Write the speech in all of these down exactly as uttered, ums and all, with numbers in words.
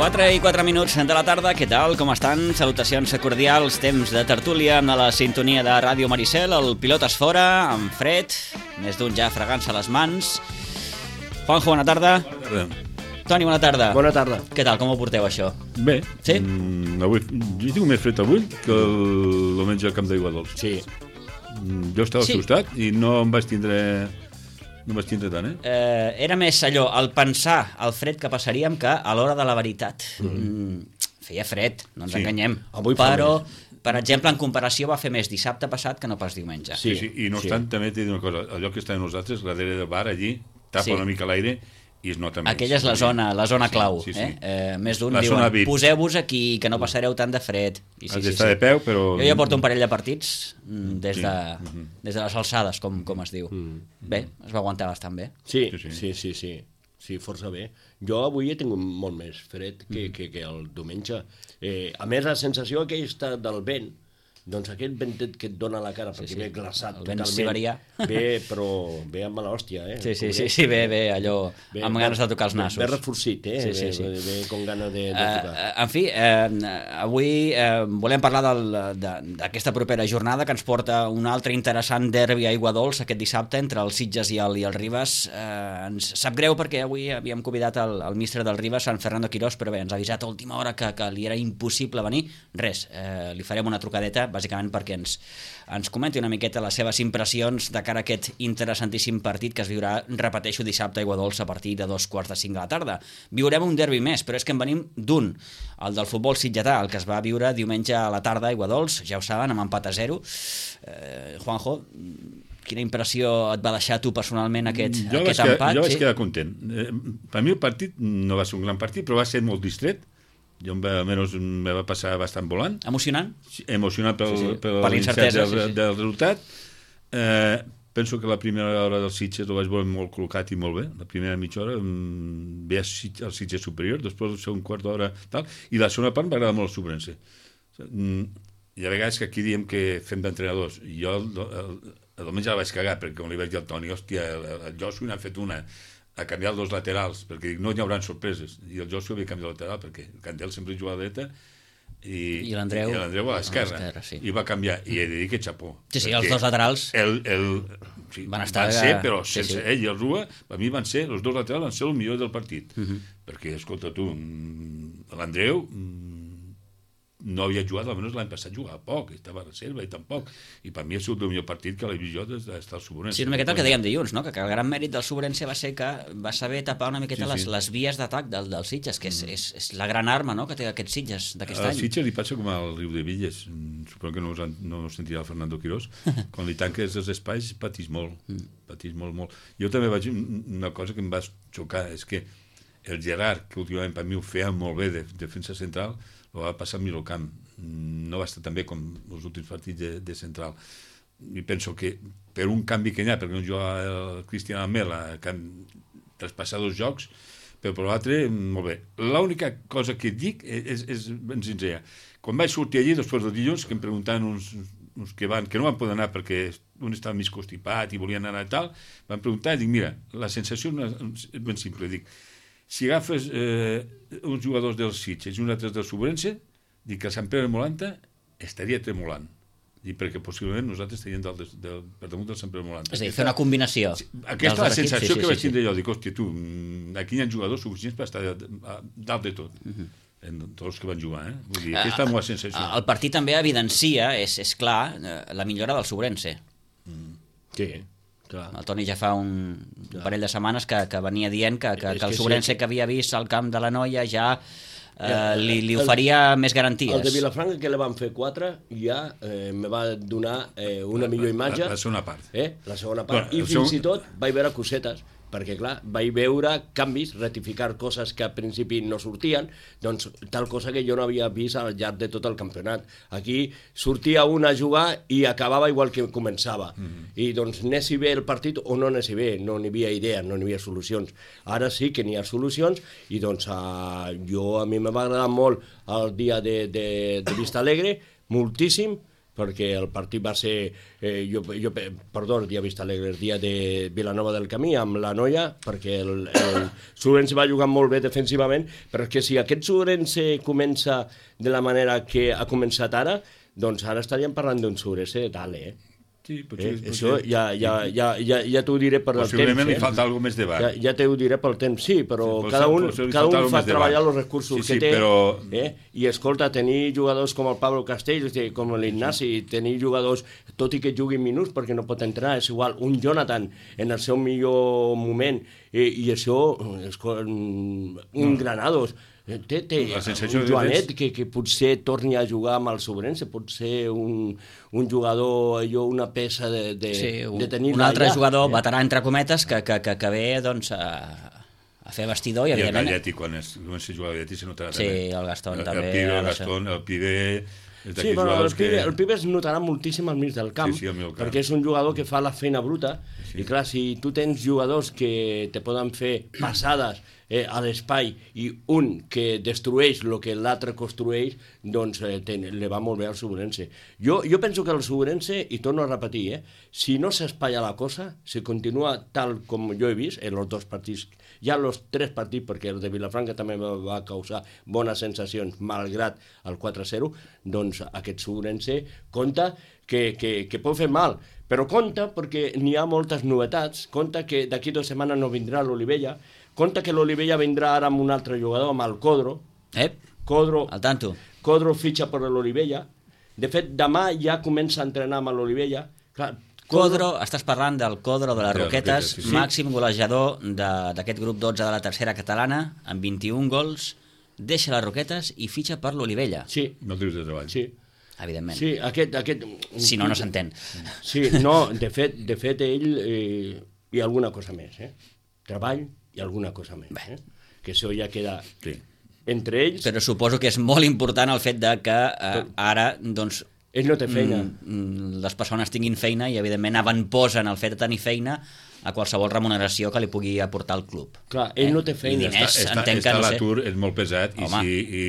quatre i quatre minuts de la tarda, què tal, com estan? Salutacions cordials, temps de tertúlia amb la sintonia de Ràdio Maricel, el pilot es fora, amb fred, més d'un ja fregant-se les mans. Juanjo, bona tarda. Bona tarda. Toni, bona tarda. Bona tarda. Què tal, com ho porteu, això? Bé. Sí? Mm, avui, jo tinc més fred avui que el diumenge al Camp d'Aigua Dols. Sí. Mm, jo estava Sí. assustat i no em vaig tindre... No vaig tindre tant, eh? Eh, era més allò, el pensar el fred que passaríem que a l'hora de la veritat. Mm, feia fred, no ens Sí. enganyem. Avui fa Però, per exemple, en comparació va fer més dissabte passat que no pas diumenge. Sí, sí. I no sí. obstant, també t'he dit una cosa. El lloc que estàvem nosaltres, darrere del bar, allí, tapa Sí. una mica l'aire i es nota més. Aquella és la zona, la zona Sí, clau. sí, sí. Eh? Eh, més d'un La zona diuen, V I P. poseu-vos aquí, que no passareu tant de fred. I Has d'estar de peu, però... Jo ja porto un parell de partits mm, des, Sí. de, des de les alçades, com, com es diu. Bé, es va aguantar bastant bé. Sí, Sí, sí. sí, sí, sí, sí, força bé. Jo avui he tingut molt més fred que, que, que el diumenge. Eh, a més, la sensació aquesta del vent, doncs aquest ventet que et dona a la cara, perquè sí. ve glaçat El vent totalment, siberià. ve, però ve amb mala hòstia, eh? Sí, sí, Com sí, ve- sí, bé, bé, allò, ve- amb ganes de tocar els ve- nassos. Ve reforcit, eh? Sí, sí, sí. Ve, ve, ve com ganes de, de Uh, tocar. en fi, eh, avui eh, volem parlar del- de- d'aquesta propera jornada que ens porta un altre interessant derbi a Aigua Dols aquest dissabte entre el Sitges i el, i el Ribes. Eh, ens sap greu perquè avui havíem convidat el, el míster del Ribes, en Fernando Quirós, però bé, ens ha avisat a última hora que, que li era impossible venir. Res, eh, li farem una trucadeta, bàsicament perquè ens, ens comenti una miqueta les seves impressions de cara a aquest interessantíssim partit que es viurà, repeteixo, dissabte a Aigua Dols a partir de dos quarts de cinc de la tarda. Viurem un derbi més, però és que en venim d'un, el del futbol sitgetà, el que es va viure diumenge a la tarda a Aigua Dols, ja ho saben, amb empat a zero. Eh, Juanjo, quina impressió et va deixar tu personalment aquest, jo aquest vaig empat? quedar, jo vaig sí? quedar content. Eh, per mi el partit no va ser un gran partit, però va ser molt distret. Jo em va, almenys me va passar bastant volant. Emocionant? Emocionat pel, Sí, sí. per Per l'incertesa, del, sí, sí. del resultat. Eh, penso que la primera hora del Sitges el vaig veure molt col·locat i molt bé. La primera mitja hora mm, veia el Sitges superior, després el segon quart d'hora tal, i la segona part m'agrada molt el Sobrense. Mm, hi ha vegades que aquí diem que fem d'entrenadors. Jo el, el, el diumenge la vaig cagar, perquè com li vaig dir al Toni, hòstia, el, el Josu n'ha fet una a canviar els dos laterals, perquè dic, no hi haurà sorpreses. I el Josu havia canviat el lateral, perquè el Candel sempre juga a la dreta i, I l'Andreu i l'Andreu a l'esquerra. a l'esquerra, sí. I va canviar, i he de dir que xapó. Sí, sí, perquè els dos laterals el, el, sí, van estar... van ser, però sí, sense sí. ell i el Rua, per mi van ser, els dos laterals van ser el millor del partit. Uh -huh. Perquè, escolta tu, mm, l'Andreu mm, no havia jugat, almenys l'any passat jugava poc, estava a reserva i tampoc. I per mi ha sigut el millor partit que l'he vist jo des d'estar al Sobrense. Sí, una miqueta el que dèiem dilluns, no? que el gran mèrit del Sobrense va ser que va saber tapar una miqueta Sí, sí. Les, les vies d'atac del, del Sitges, que és, és, és la gran arma, no?, que té aquest Sitges d'aquest Al any. Sitges li passa com al Riu de Villes. Mm, Suposo que no us, han, no us sentirà el Fernando Quirós. Quan li tanques els espais patís molt, patís molt, molt. Jo també vaig una cosa que em va xocar, és que el Gerard, que últimament per mi ho feia molt bé de defensa central, ho va passar al Milocamp. No va estar tan bé com els últims partits de, de central. I penso que per un canvi que hi ha, perquè no juga el Cristian Almela, que han traspassat dos jocs, però per l'altre, molt bé. L'única cosa que dic és, és ben senzilla. Quan vaig sortir allí, després del dilluns, que em preguntaven uns, uns que van, que no van poder anar perquè un estava mig constipat i volien anar i tal, van preguntar i dic, mira, la sensació és ben simple. Dic, si agafes eh, uns jugadors del Sitges i uns altres del Sobrense, dic que el Sant Pere de Molanta estaria tremolant. Dic, perquè possiblement nosaltres estaríem del, del, per damunt del Sant Pere de Molanta. És a dir, fer una combinació. Sí, aquesta és la sensació sí, sí, que vaig sí, tindre jo. Dic, hòstia, tu, aquí hi ha jugadors suficients per estar dalt de tot. Uh -huh. En tots els que van jugar, eh? Vull dir, aquesta és la sensació. El partit també evidencia, és, és clar, la millora del Sobrense. Sí, Clar. El Toni ja fa un, un parell de setmanes que, que venia dient que, que, que el que Sobrense sí. que havia vist al camp de la Noia ja eh, li, li El- oferia més garanties. El de Vilafranca, que le van fer quatre, ja eh, me va donar eh, una millor imatge. La, la segona part. Eh? La segona part. Bueno, I el fins segon- i tot vaig veure cosetes, perquè clar, vaig veure canvis, rectificar coses que al principi no sortien, doncs tal cosa que jo no havia vist al llarg de tot el campionat. Aquí sortia un a jugar i acabava igual que començava. Mm-hmm. I doncs anés bé el partit o no anés bé, no n'hi havia idees, no n'hi havia solucions. Ara sí que n'hi ha solucions i doncs uh, jo a mi me va agradar molt el dia de, de, de Vista Alegre, moltíssim, perquè el partit va ser, eh, jo, jo, perdó, el dia Vista Alegre, el dia de Vilanova del Camí, amb la Noia, perquè el, el Sobrense va jugar molt bé defensivament, però és que si aquest Sobrense comença de la manera que ha començat ara, doncs ara estaríem parlant d'un Sobrense de tal, eh? Sí, potser, Eh, potser. això ja, ja, ja, ja, ja t'ho diré per el temps. Possiblement li eh? falta alguna més de bar. Ja, ja t'ho diré pel temps, sí, però Sí, cada un, potser li cada falta un algo fa més de treballar bar. els recursos Sí, que sí, té. però- Eh? I escolta, tenir jugadors com el Pablo Castells, eh, com l'Ignasi, tenir jugadors, tot i que juguin minuts perquè no pot entrar, és igual, un Jonathan en el seu millor moment, eh, i això, escolta, un No. Granados, eh, té, té La sensació un que Joanet tens- que, que potser torni a jugar amb el Sobrense, pot ser un, un jugador, allò, una peça de, de, Sí, un, de tenir un altre allà. jugador Eh? veterà, entre cometes, que, que, que, que ve doncs, a, a fer vestidor i, I el evidentment... Galletti, quan es comença a jugar a Galletti, se notarà Sí, també. el Gastón el, també El Pibe, ha el de ser. Gastón, el Pibe... És Sí, d'aquells però el jugadors pibe, que... el pibe es notarà moltíssim al mig del camp, Sí, sí, al mig del camp. perquè és un jugador que fa la feina bruta, sí. I clar, si tu tens jugadors que te poden fer passades eh, a l'espai i un que destrueix el que l'altre construeix, doncs eh, ten, le va molt bé al Sobrense. Jo, jo penso que el Sobrense, i torno a repetir, eh, si no s'espalla la cosa, si continua tal com jo he vist en els dos partits, ja els tres partits, perquè el de Vilafranca també va, va causar bones sensacions, malgrat el quatre a zero, doncs aquest Sobrense compta que, que, que pot fer mal, però compta perquè n'hi ha moltes novetats, compta que d'aquí dues setmanes no vindrà l'Olivella, compta que l'Olivella vindrà ara amb un altre jugador, amb el Codro, Ep, Codro, al tanto. Codro fitxa per l'Olivella, de fet demà ja comença a entrenar amb l'Olivella. Clar, Codro, estàs parlant del Codro de les De les Roquetes, Roquetes, sí, sí. màxim golejador de- d'aquest grup dotze de la tercera catalana, amb vint-i-un gols, deixa les Roquetes i fitxa per l'Olivella. Sí, No dius de treball. sí. Evidentment. Sí, aquest... aquest Si no, no s'entén. Sí, no, de fet, de fet ell eh, i alguna cosa més, eh? Treball i alguna cosa més, eh? Que això ja queda Sí. entre ells. Però suposo que és molt important el fet de que eh, ara, doncs, Ell no té feina. mm, mm, les persones tinguin feina i, evidentment, avantposen el fet de tenir feina a qualsevol remuneració que li pugui aportar el club. Clar, ell no té feina. I diners, Està, entenc està que no sé. l'atur és molt pesat i Home. si... I,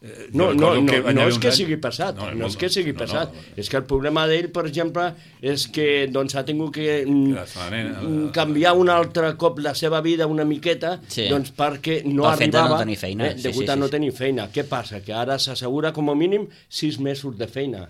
eh, No, jo no, recordo no, que va no haver és uns que anys- sigui passat, no, no és que sigui no, passat. no. És que el problema d'ell, per exemple, és que doncs, ha tingut que mm, La setmana- mm, canviar un altre cop la seva vida una miqueta, Sí. doncs perquè no Pel fet de no arribava tenir feina, eh, sí, degut sí, a sí, no sí. tenir feina. Què passa? Que ara s'assegura com a mínim sis mesos de feina.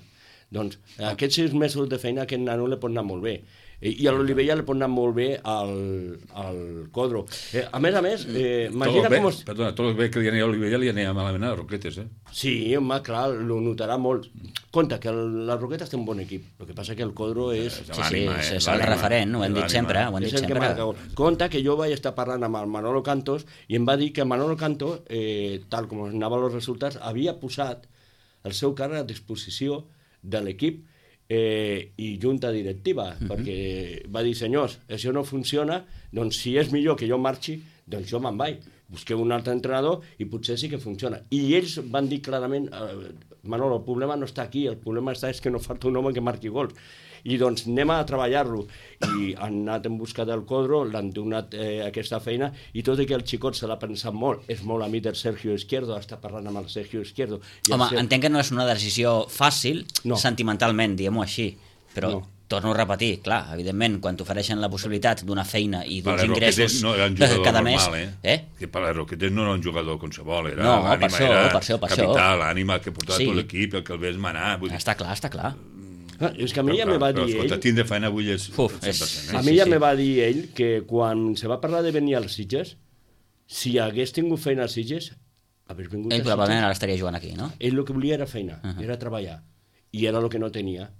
Doncs aquests sis mesos de feina a aquest nano li pot anar molt bé. I i a l'Olivella li pot anar molt bé al, al Codro. Eh, a més a més, eh, Tot imagina el bé, com... Es... Perdona, tot el bé que li anava a Olivella li anava malament a les Roquetes, eh? Sí, home, clar, lo notarà molt. Compte, que el, les Roquetes té un bon equip. El que passa que el Codro és... És Sí, sí, l'ànima, eh? és el L'ànima, referent, ho hem dit l'ànima. sempre, ho hem és dit el que sempre. marca. Compte que jo vaig estar parlant amb el Manolo Cantos i em va dir que el Manolo Cantos, eh, tal com anaven els resultats, havia posat el seu càrrec a disposició de l'equip eh, i junta directiva, uh-huh. perquè va dir, senyors, això no funciona, doncs si és millor que jo marxi, doncs jo me'n vaig. Busqueu un altre entrenador i potser sí que funciona. I ells van dir clarament, eh, Manolo, el problema no està aquí, el problema està és que no falta un home que marqui gols. I doncs anem a treballar-lo. I han anat en busca del Codro, l'han donat eh, aquesta feina, i tot i que el xicot se l'ha pensat molt, és molt amic del Sergio Izquierdo, està parlant amb el Sergio Izquierdo. I el Home, Ser- entenc que no és una decisió fàcil, No. sentimentalment, diguem-ho així, però No. torno a repetir, clar, evidentment, quan t'ofereixen la possibilitat d'una feina i Per d'uns les Roquetes ingressos no era un jugador cada normal, mes... eh? eh? Que per les Roquetes no era un jugador qualsevol, era No, per l'ànima, això, era per això, per això. capital, l'ànima que portava Sí. tot l'equip, el que el ves manar. Vull dir, Està clar, està clar. Ah, és que a mi ja però, me va però, dir escolta, ell... tindre feina avui és Uf, cent per cent, és- eh? A Sí, mi ja sí. me va dir ell que quan se va parlar de venir als Sitges, si hagués tingut feina als Sitges, hagués vingut Ell als probablement Sitges. ara estaria jugant aquí, no? Ell el que volia era feina, Uh-huh. era treballar, i era el que no tenia.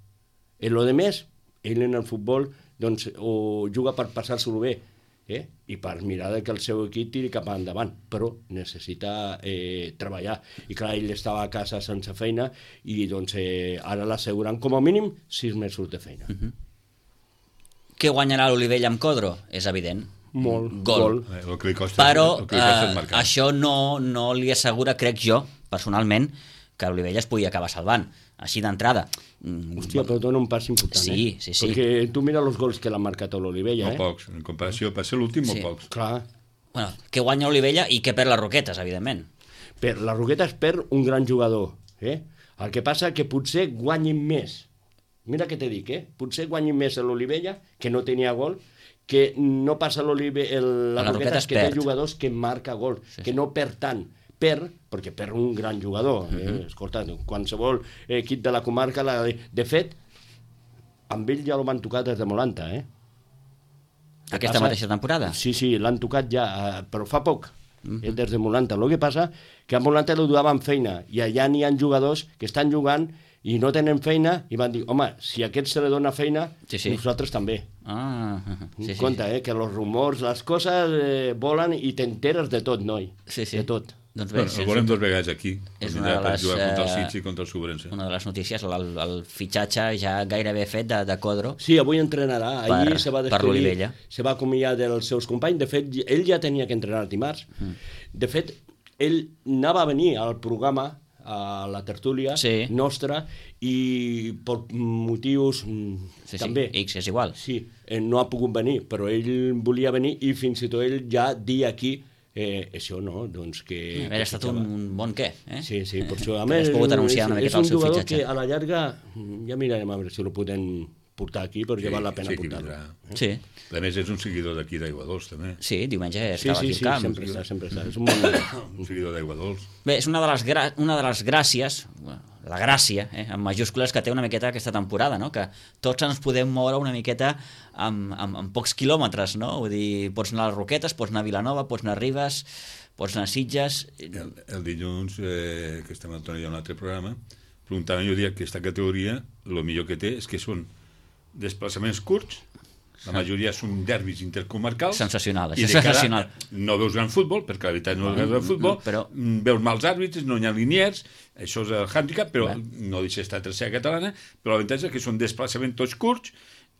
En lo de més, ell en el futbol doncs, o juga per passar-se-lo bé, eh? I per mirar que el seu equip tiri cap endavant, però necessita eh, treballar. I clar, ell estava a casa sense feina i doncs, eh, ara l'asseguran com a mínim sis mesos de feina. Uh-huh. Què guanyarà l'Olivella amb Codro? És evident. Molt, gol. gol. Eh, el que li costa, Però el que li costa és eh, marcar. això no, no li assegura, crec jo, personalment, que l'Olivella es pugui acabar salvant, així d'entrada. Hòstia, però dona un pas important, Sí, eh? sí, sí. Perquè tu mira els gols que l'ha marcat l'Olivella, Molt eh? pocs, en comparació, per ser l'últim, molt Sí. pocs. Clar. Bueno, què guanya l'Olivella i què perd les Roquetes, evidentment. Per, la Roqueta es perd un gran jugador, eh? El que passa que potser guanyin més. Mira què te dic, eh? Potser guanyin més l'Olivella, que no tenia gol, que no passa l'Olivella... La, La Roqueta Roqueta és que perd. té jugadors que marca gol, Sí, que sí. no perd tant. Perd, perquè perd un gran jugador. Eh? Mhm. Escolta, qualsevol equip de la comarca... La... De fet, amb ell ja lo van tocar des de Molanta, eh? Aquesta mateixa temporada? Sí, sí, l'han tocat ja, eh, però fa poc, mm-hmm. des de Molanta. El que passa que a Molanta lo duaven feina i allà n'hi ha jugadors que estan jugant i no tenen feina i van dir, home, si a aquest se li dona feina, Sí, sí. nosaltres també. Ah, sí, sí. Compte, eh, que els rumors, les coses eh, volen i t'enteres de tot, noi. Sí, sí. De tot. Doncs bé, Bueno, el veurem dos vegades aquí. és per una de les, jugar contra el eh, Sitges i contra el Sobrense. una de les notícies, el, el fitxatge ja gairebé fet de, de Codro. Sí, avui entrenarà. Ahir Per- se va per despedir, l'Olivella. se va acomiadar dels seus companys. De fet, ell ja tenia que entrenar el dimarts. Mm. De fet, ell anava a venir al programa, a la tertúlia Sí. nostra, i per motius mm, Sí, sí, també... X és igual. Sí, eh, no ha pogut venir, però ell volia venir i fins i tot ell ja dir aquí eh, això, no? Doncs que... Hauria estat un, un bon què, eh? Sí, sí, per això. A Que més, hagués pogut anunciar una és, miqueta el és seu un jugador fitxatge. que a la llarga ja mirarem a veure si el podem portar aquí, perquè Sí, val la pena sí que portar-lo. vindrà. Sí, A més, és un seguidor d'aquí d'Aigua Dols, també. sí, diumenge Sí, estava sí, aquí sí, al camp. sempre està, sempre està. És un bon... Un seguidor d'Aigua Dols. Bé, és una de les, gra una de les gràcies, la gràcia, eh, en majúscules, que té una miqueta aquesta temporada, no? Que tots ens podem moure una miqueta amb, amb, amb pocs quilòmetres, no? Vull dir, pots anar a les Roquetes, pots anar a Vilanova, pots anar a Ribes, pots anar a Sitges... El, el dilluns, eh, que estem al Toni d'un altre programa, preguntaven, jo dia que aquesta categoria, el millor que té és que són desplaçaments curts, la majoria són derbis intercomarcals. Sensacional, i això de és cara sensacional. no veus gran futbol, perquè la veritat no veus gran futbol, però- mm, veus mals àrbitres, no hi ha liniers, això és el handicap, però Bé. no deixa d'estar a tercera catalana, però l'avantatge és que són desplaçaments tots curts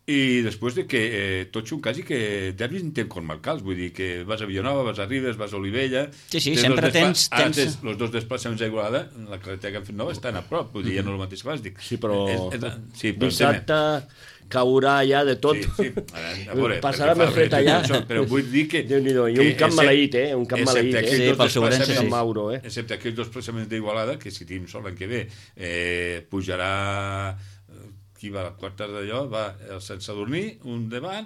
i després de que eh, tots són quasi que derbis intercomarcals, vull dir que vas a Vilanova, vas a Ribes, vas a Olivella... Sí, sí, tens sempre dos despla- tens- Ara tens- tens els dos desplaçaments a Igualada, la carretera que han fet nova estan a prop, vull dir, ja no és el mateix que abans, dic. Sí, però És, és, sí, però dissabte caurà ja de tot. Sí, sí. A veure, Passarà perquè més fa fred allà. això, però vull dir que... Déu-n'hi-do, i que un camp excep- maleït, eh? Un camp excepte maleït, eh? aquells Sí, dos pel Sobrense, desplaçaments- sí. Mauro, eh? Excepte aquells dos desplaçaments d'Igualada, que si tenim sort l'any que ve, eh, pujarà... eh, qui va a la quarta d'allò? Va el Sant Sadurní, un davant,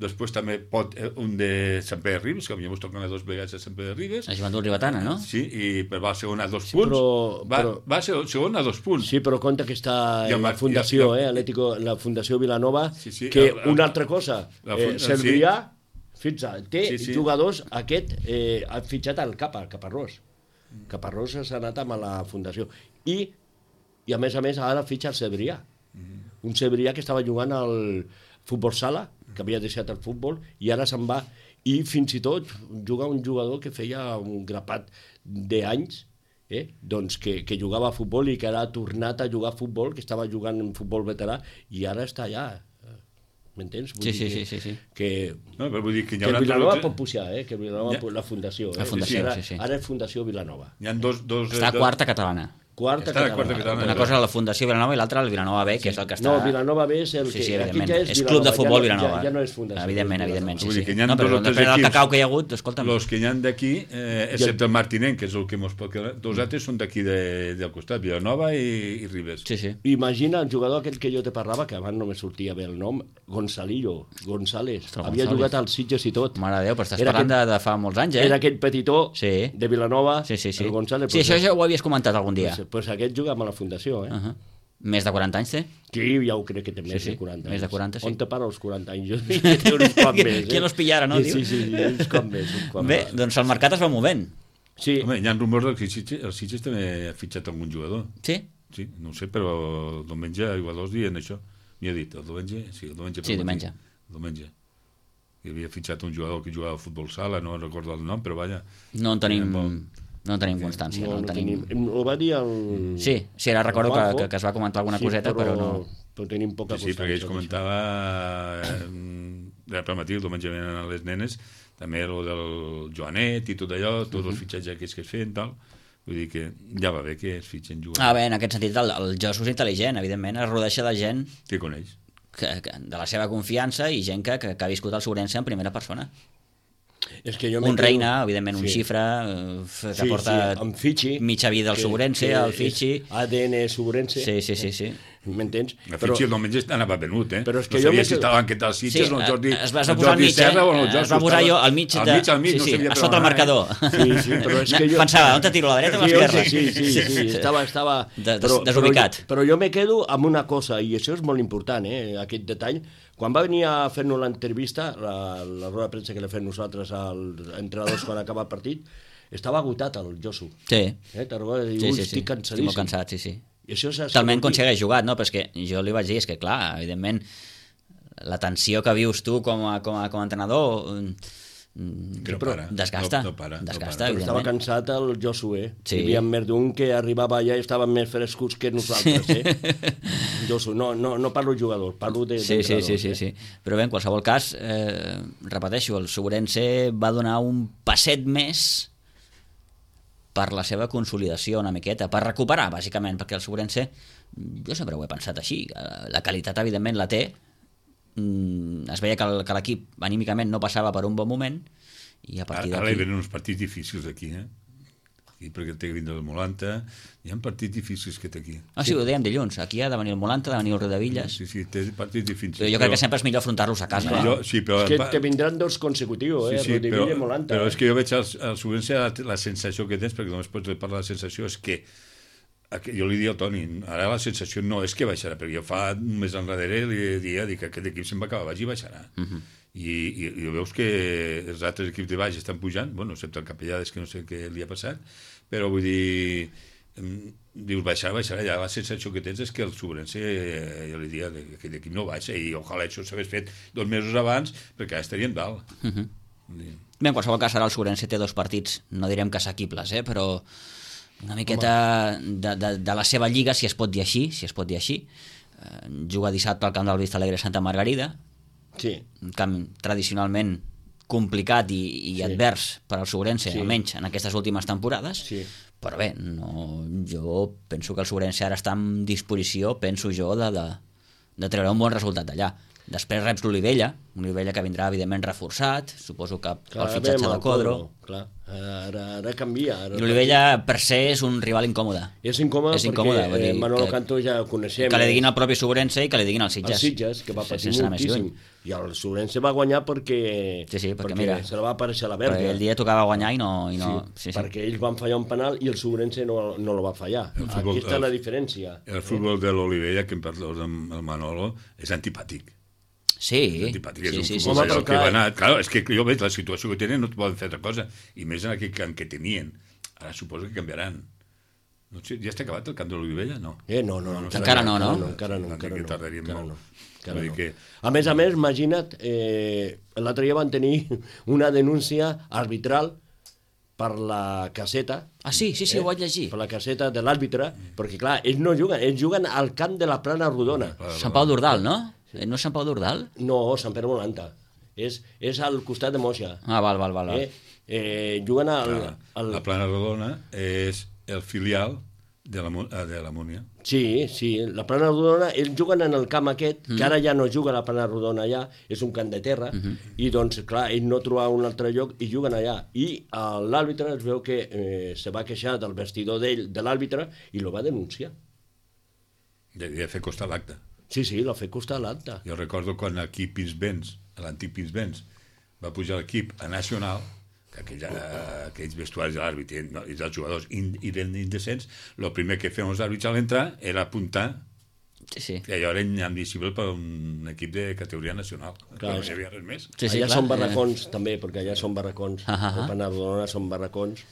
després també pot eh, un de Sant Pere de Ribes, que a mi m'ho toquen a dos vegades a Sant Pere de Ribes. La joventut ribetana, no? Sí, i però va segon a dos Sí, punts. però- va, però- va ser segon a dos punts. Sí, però compte que està I el en la Mar- Fundació, i el- eh? Atlético, la Fundació Vilanova, Sí, sí, que el- el- una altra cosa, la eh, fun- Cervià, fixa't, té Sí, sí. jugadors, aquest, eh, ha fitxat al Capa, Caparrós. Caparrós s'ha anat amb la Fundació. I, i a més a més, ara fitxa el Cebrià. Un Cebrià que estava jugant al futbol sala, que havia deixat el futbol, i ara se'n va. I fins i tot juga un jugador que feia un grapat d'anys, eh? doncs que, que jugava a futbol i que ara ha tornat a jugar a futbol, que estava jugant en futbol veterà, i ara està allà. M'entens? Vull Sí, dir sí, que, sí, sí, sí. Que, No, però vull dir que hi que ha Vilanova altre- pot pujar, eh? Que Vilanova, Ja. la Fundació. Eh? La Fundació, ara, sí, sí. Ara és Fundació Vilanova. Hi ha dos... dos Està a dos- quarta catalana. Quarta Està a catalana. quarta catalana. Una cosa a la Fundació Vilanova i l'altra al Vilanova B, que és el que està... No, Vilanova B és el Sí, que... sí, aquí evidentment. ja és, És Club de Vilanova, Futbol ja, Vilanova. Ja, ja no és Fundació. Evidentment, és evidentment, sí, Vull sí. dir que hi ha No, dos però o tres després del equips- cacau que hi ha hagut, escolta'm... Los que hi ha d'aquí, eh, excepte el Martinenc, que és el que mos pot quedar, dos altres són d'aquí de, del costat, Vilanova i, i Ribes. Sí, sí. Imagina el jugador aquell que jo te parlava, que abans no me sortia bé el nom, Gonzalillo, González. Ostres, Havia González. jugat als Sitges i tot. Mare de Déu, però estàs Era parlant de, aquell- de fa molts anys, eh? Era aquell petitó Sí. de Vilanova, Sí, sí, sí. el González. Sí, pues, això ja ho havies comentat algun dia. Pues, pues aquest juga amb la Fundació, eh? Uh -huh. Més de quaranta anys té? Sí, ja ho crec que té més Sí, sí, de quaranta més de anys. quaranta, sí. On te para els quaranta anys? Jo dic que té uns quants més, eh? Qui los pillara, no, Sí, diu? sí, sí, sí, uns quants més, uns quants Bé, més. doncs el mercat es va movent. Sí, Home, hi ha rumors que el Sitges, el Sitges també ha fitxat algun jugador. Sí? Sí, no ho sé, però diumenge a Iguados dient això. m'hi ha dit, el diumenge? Sí, el diumenge. Sí, diumenge. El diumenge. Hi havia fitxat un jugador que jugava a futbol sala, no recordo el nom, però vaja... No en tenim... Bon... No en tenim constància. No, no, no tenim... tenim... Ho va dir el... Sí, sí, ara recordo que, que, que es va comentar alguna sí, coseta, però, però no... Però tenim poca sí, sí, perquè ell constància. comentava... Eh, era per matí, el diumenge venen les nenes, també el del Joanet i tot allò, tots els fitxatges aquests que es feien, tal... Vull dir que ja va bé que es fitxen jugadors. Ah, bé, en aquest sentit, el, el Josu és intel·ligent, evidentment, es rodeja de gent que coneix. Que, que, de la seva confiança i gent que, que, que ha viscut el Sobrense en primera persona. És que jo un reina, evidentment, un sí. xifra eh, que sí, porta sí, amb Fitxi, mitja vida al Sobrense, el Fitxi... A D N Sobrense. Sí, sí, sí, sí. M'entens? El Fitxi el diumenge anava venut, eh? Però és que no jo sabia me si quedo... estava enquetat als Sitges sí, o el Jordi, es va el posar al Jordi mig, Serra eh? o el Josu. Es va posar jo al mig, al de... mig, al mig, sí, no sí, sabia a sota el marcador. Sí, sí, però és que jo... Pensava, on te tiro, a la dreta o a l'esquerra? Sí, sí, sí, sí, estava... estava... Des, però, desubicat. Però, però jo me quedo amb una cosa, i això és molt important, eh, aquest detall. Quan va venir a fer-nos l'entrevista, la, la roda de premsa que l'he fet nosaltres als entrenadors quan acaba el partit, estava agotat el Josu. Sí. Eh, Te'n recordes? Diu, Sí, sí, sí. estic cansadíssim. Estic molt cansat, sí, sí. I això és talment quan s'hagués jugat, no? Però és que jo li vaig dir, és que clar, evidentment, la tensió que vius tu com a, com a, com a entrenador que no para, desgasta, no, no para, desgasta, no para. Estava cansat el Josué. Sí. Hi havia més d'un que arribava allà i estaven més frescos que nosaltres, eh? Josu, no, no, no parlo jugador, parlo de sí, sí, sí, sí, eh? sí. Però bé, en qualsevol cas, eh, repeteixo, el Sobrense va donar un passet més per la seva consolidació una miqueta, per recuperar, bàsicament, perquè el Sobrense, jo sempre ho he pensat així, la qualitat, evidentment, la té, es veia que l'equip anímicament no passava per un bon moment, i a partir d'aquí... Ara hi venen uns partits difícils aquí, eh? Aquí, perquè té que vindre el Molanta, hi ha partits difícils que té aquí. Ah, sí, ho dèiem dilluns, aquí ha de venir el Molanta, ha de venir el Riudevilles... Sí, sí, té partits difícils. Però jo crec però... que sempre és millor afrontar-los a casa. No, eh? sí, però... És que te vindran dos consecutius, eh? Sí, sí, Riudevilles però, i Molanta. però és que jo veig al, al Sobrense la, la sensació que tens, perquè només pots parlar de la sensació, és que jo li dic al Toni, ara la sensació no és que baixarà, perquè jo fa un mes enrere li dia que aquest equip se'n va acabar baix i baixarà. Uh -huh. I, i, i veus que els altres equips de baix estan pujant, bueno, excepte el Capellades, que no sé què li ha passat, però vull dir, dius baixarà, baixarà, ja la sensació que tens és que el Sobrense, jo li diria, que aquest equip no baixa, i ojalà això s'hagués fet dos mesos abans, perquè ara estaríem dalt. Uh -huh. Bé, en qualsevol cas, ara el Sobrense té dos partits, no direm que assequibles, eh, però una miqueta de, de, de la seva lliga, si es pot dir així, si es pot dir així. Eh, juga dissabte al camp del Vista Alegre Santa Margarida, sí. un camp tradicionalment complicat i, i sí. advers per al Sobrense, sí. almenys en aquestes últimes temporades, sí. però bé, no, jo penso que el Sobrense ara està en disposició, penso jo, de, de, de treure un bon resultat d'allà. Després reps l'Olivella, l'Olivella que vindrà evidentment reforçat, suposo que pel fitxatge de Codro. Clar, ara, ara canvia. Ara L'Olivella per ser és un rival incòmode. És incòmode, és incòmode perquè eh, Manolo que, Cantó ja el coneixem. Que li diguin al propi Sobrense i que li diguin als Sitges. Els Sitges, que va patir sí, moltíssim. I el Sobrense va guanyar perquè, sí, sí, perquè, perquè mira, se la va aparèixer a la verga. Perquè el dia tocava guanyar i no... I no sí, sí, sí. perquè ells van fallar un penal i el Sobrense no, no lo va fallar. El futbol, Aquí està el, la diferència. El futbol de l'Olivella, que em parles amb el Manolo, és antipàtic. Sí, antipàtic, és sí, un sí, futbol sí, sí, que va anar... Claro, és que jo veig la situació que tenen, no et poden fer altra cosa, i més en aquell camp que tenien. Ara suposo que canviaran. No sé, ja està acabat el camp de l'Olivella? No. Eh, no, no, no, no encara no, no? no encara no, encara no. Tardaríem encara molt. no. Encara no. Que... A més a més, imagina't, eh, l'altre dia van tenir una denúncia arbitral per la caseta. Ah, sí, sí, sí, eh? Ho vaig llegir. Per la caseta de l'àrbitre, perquè clar, ells no juguen, ells juguen al camp de la Plana Rodona. Sant Pau d'Ordal, no? No és Sant Pau d'Ordal? No, Sant Pere Molanta. És, és al costat de Moixa. Ah, val, val, val. Eh? Eh, juguen al, al... La Plana Rodona és el filial de la, de la Múnia. Sí, sí, la Plana Rodona, ells juguen en el camp aquest, mm. que ara ja no juga la Plana Rodona allà, és un camp de terra, mm -hmm. i doncs, clar, ells no trobaven un altre lloc i juguen allà. I l'àrbitre es veu que eh, se va queixar del vestidor d'ell, de l'àrbitre, i lo va denunciar. Devia fer costar l'acte. Sí, sí, l'ha fet costar l'acte. Jo recordo quan aquí Pinsbens, l'antic Pinsbens, va pujar l'equip a Nacional, que aquell, aquells vestuaris de l'àrbitre no, i dels jugadors eren indecents, el primer que feien els àrbits a l'entrar era apuntar sí, sí. que allò era inadmissible per un equip de categoria nacional. Clar, no hi havia res més. Sí, sí, allà clar. Són barracons, eh. també, perquè allà són barracons. Uh -huh. El Penardona són barracons.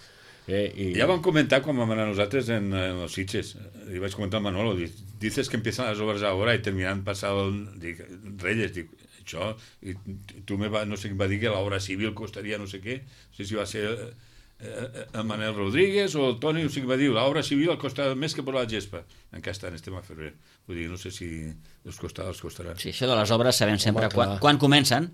Eh, i... Ja vam comentar quan vam anar nosaltres en, en los Sitges. Li vaig comentar al Manolo, dices que empiezan las obras ahora y terminan pasado el... Dic, Reyes, dic, això, i tu me va, no sé què va dir que l'obra civil costaria no sé què, no sé si va ser eh, el Manel Rodríguez o el Toni, no sé què va dir, l'obra civil costa més que posar la gespa. Encara estan, estem a febrer. Vull dir, no sé si els costarà, els costarà. Sí, això de les obres sabem sempre Home, quan, clar. quan comencen,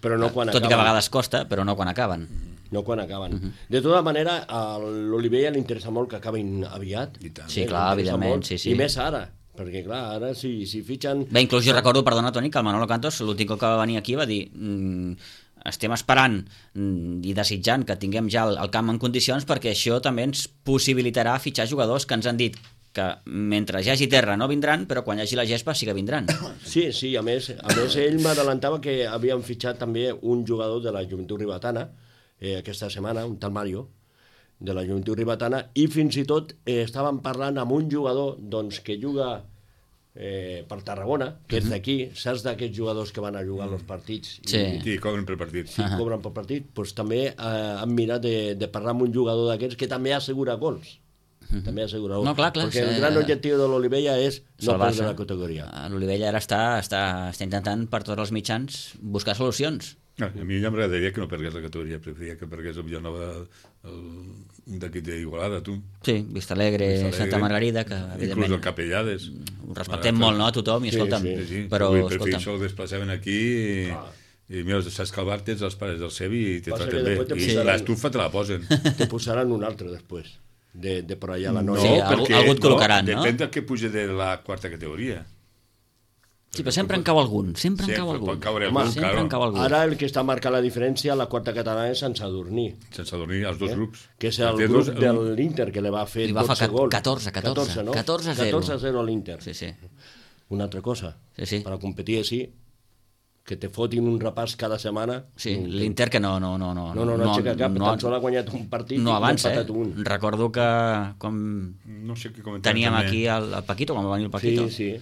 però no quan tot acaben. i que a vegades costa, però no quan acaben. No quan acaben. Uh -huh. De tota manera, a l'Olivella li interessa molt que acabin aviat. I tant. Sí, Eh, clar, li interessa evidentment, molt, sí, sí. I més ara, perquè clar, ara si, si fitxen... Bé, inclús jo recordo, perdona Toni, que el Manolo Cantos l'últim cop que va venir aquí va dir mm, estem esperant mm, i desitjant que tinguem ja el, el camp en condicions perquè això també ens possibilitarà fitxar jugadors que ens han dit que mentre hi hagi terra no vindran, però quan hi hagi la gespa sí que vindran. Sí, sí, a més, a més ell m'adelantava que havien fitxat també un jugador de la Joventut Ribetana eh, aquesta setmana, un tal Mario, de la Joventut Ribetana, i fins i tot eh, estaven parlant amb un jugador doncs, que juga eh, per Tarragona, que és d'aquí, saps d'aquests jugadors que van a jugar als partits Sí. i, Sí, cobren per partit. i cobren per partit, doncs també eh, han mirat de, de parlar amb un jugador d'aquests que també assegura gols. També assegura gols. No, clar, clar, Perquè sí. el gran objectiu de l'Olivella és no Salvar-se. perdre la categoria. L'Olivella ara està, està, està intentant per tots els mitjans buscar solucions. No, a mi ja m'agradaria que no pergués la categoria, preferiria que pergués el Villanova, el, un d'aquí d'Igualada, tu. Sí, Vista Alegre, Vista Alegre, Santa Margarida, que inclús evidentment el Capellades. ho respectem molt, no?, a tothom, i Sí, escolta'm, sí, Sí, sí, però, vull dir, per fi escolta'm, això el desplaçaven aquí i, i mira, saps que el bar tens els pares del Sevi i te Passa traten que bé. després te I posaran- l'estufa te la posen. Te posaran un altre després, de, de per allà a la No, noia. Sí, algú- algú et col·locaran, no? Depèn del que puja de la quarta categoria. sí, però sempre en cau algun, sempre en Sempre cau algun. pot caure Home, algun, sempre claro. en cau algun. Ara el que està marcant la diferència a la quarta catalana és Sant Sadurní, Sense adormir els dos grups. que és el Té grup dos- de l'Inter que li va fer Li va dotze fer gols. catorze, catorze, no? catorze a zero. catorze a zero a l'Inter. Sí, sí. Una altra cosa, Sí, sí. per a competir així, que te fotin un repàs cada setmana. Sí, l'Inter que no... No, no, no, No, no, no, aixeca cap, no, tan sol ha guanyat un partit no i avança, n'ha eh? empatat un. Recordo que com No sé què comentar. teníem també. aquí el, el Paquito, quan va venir el Paquito, Sí, sí,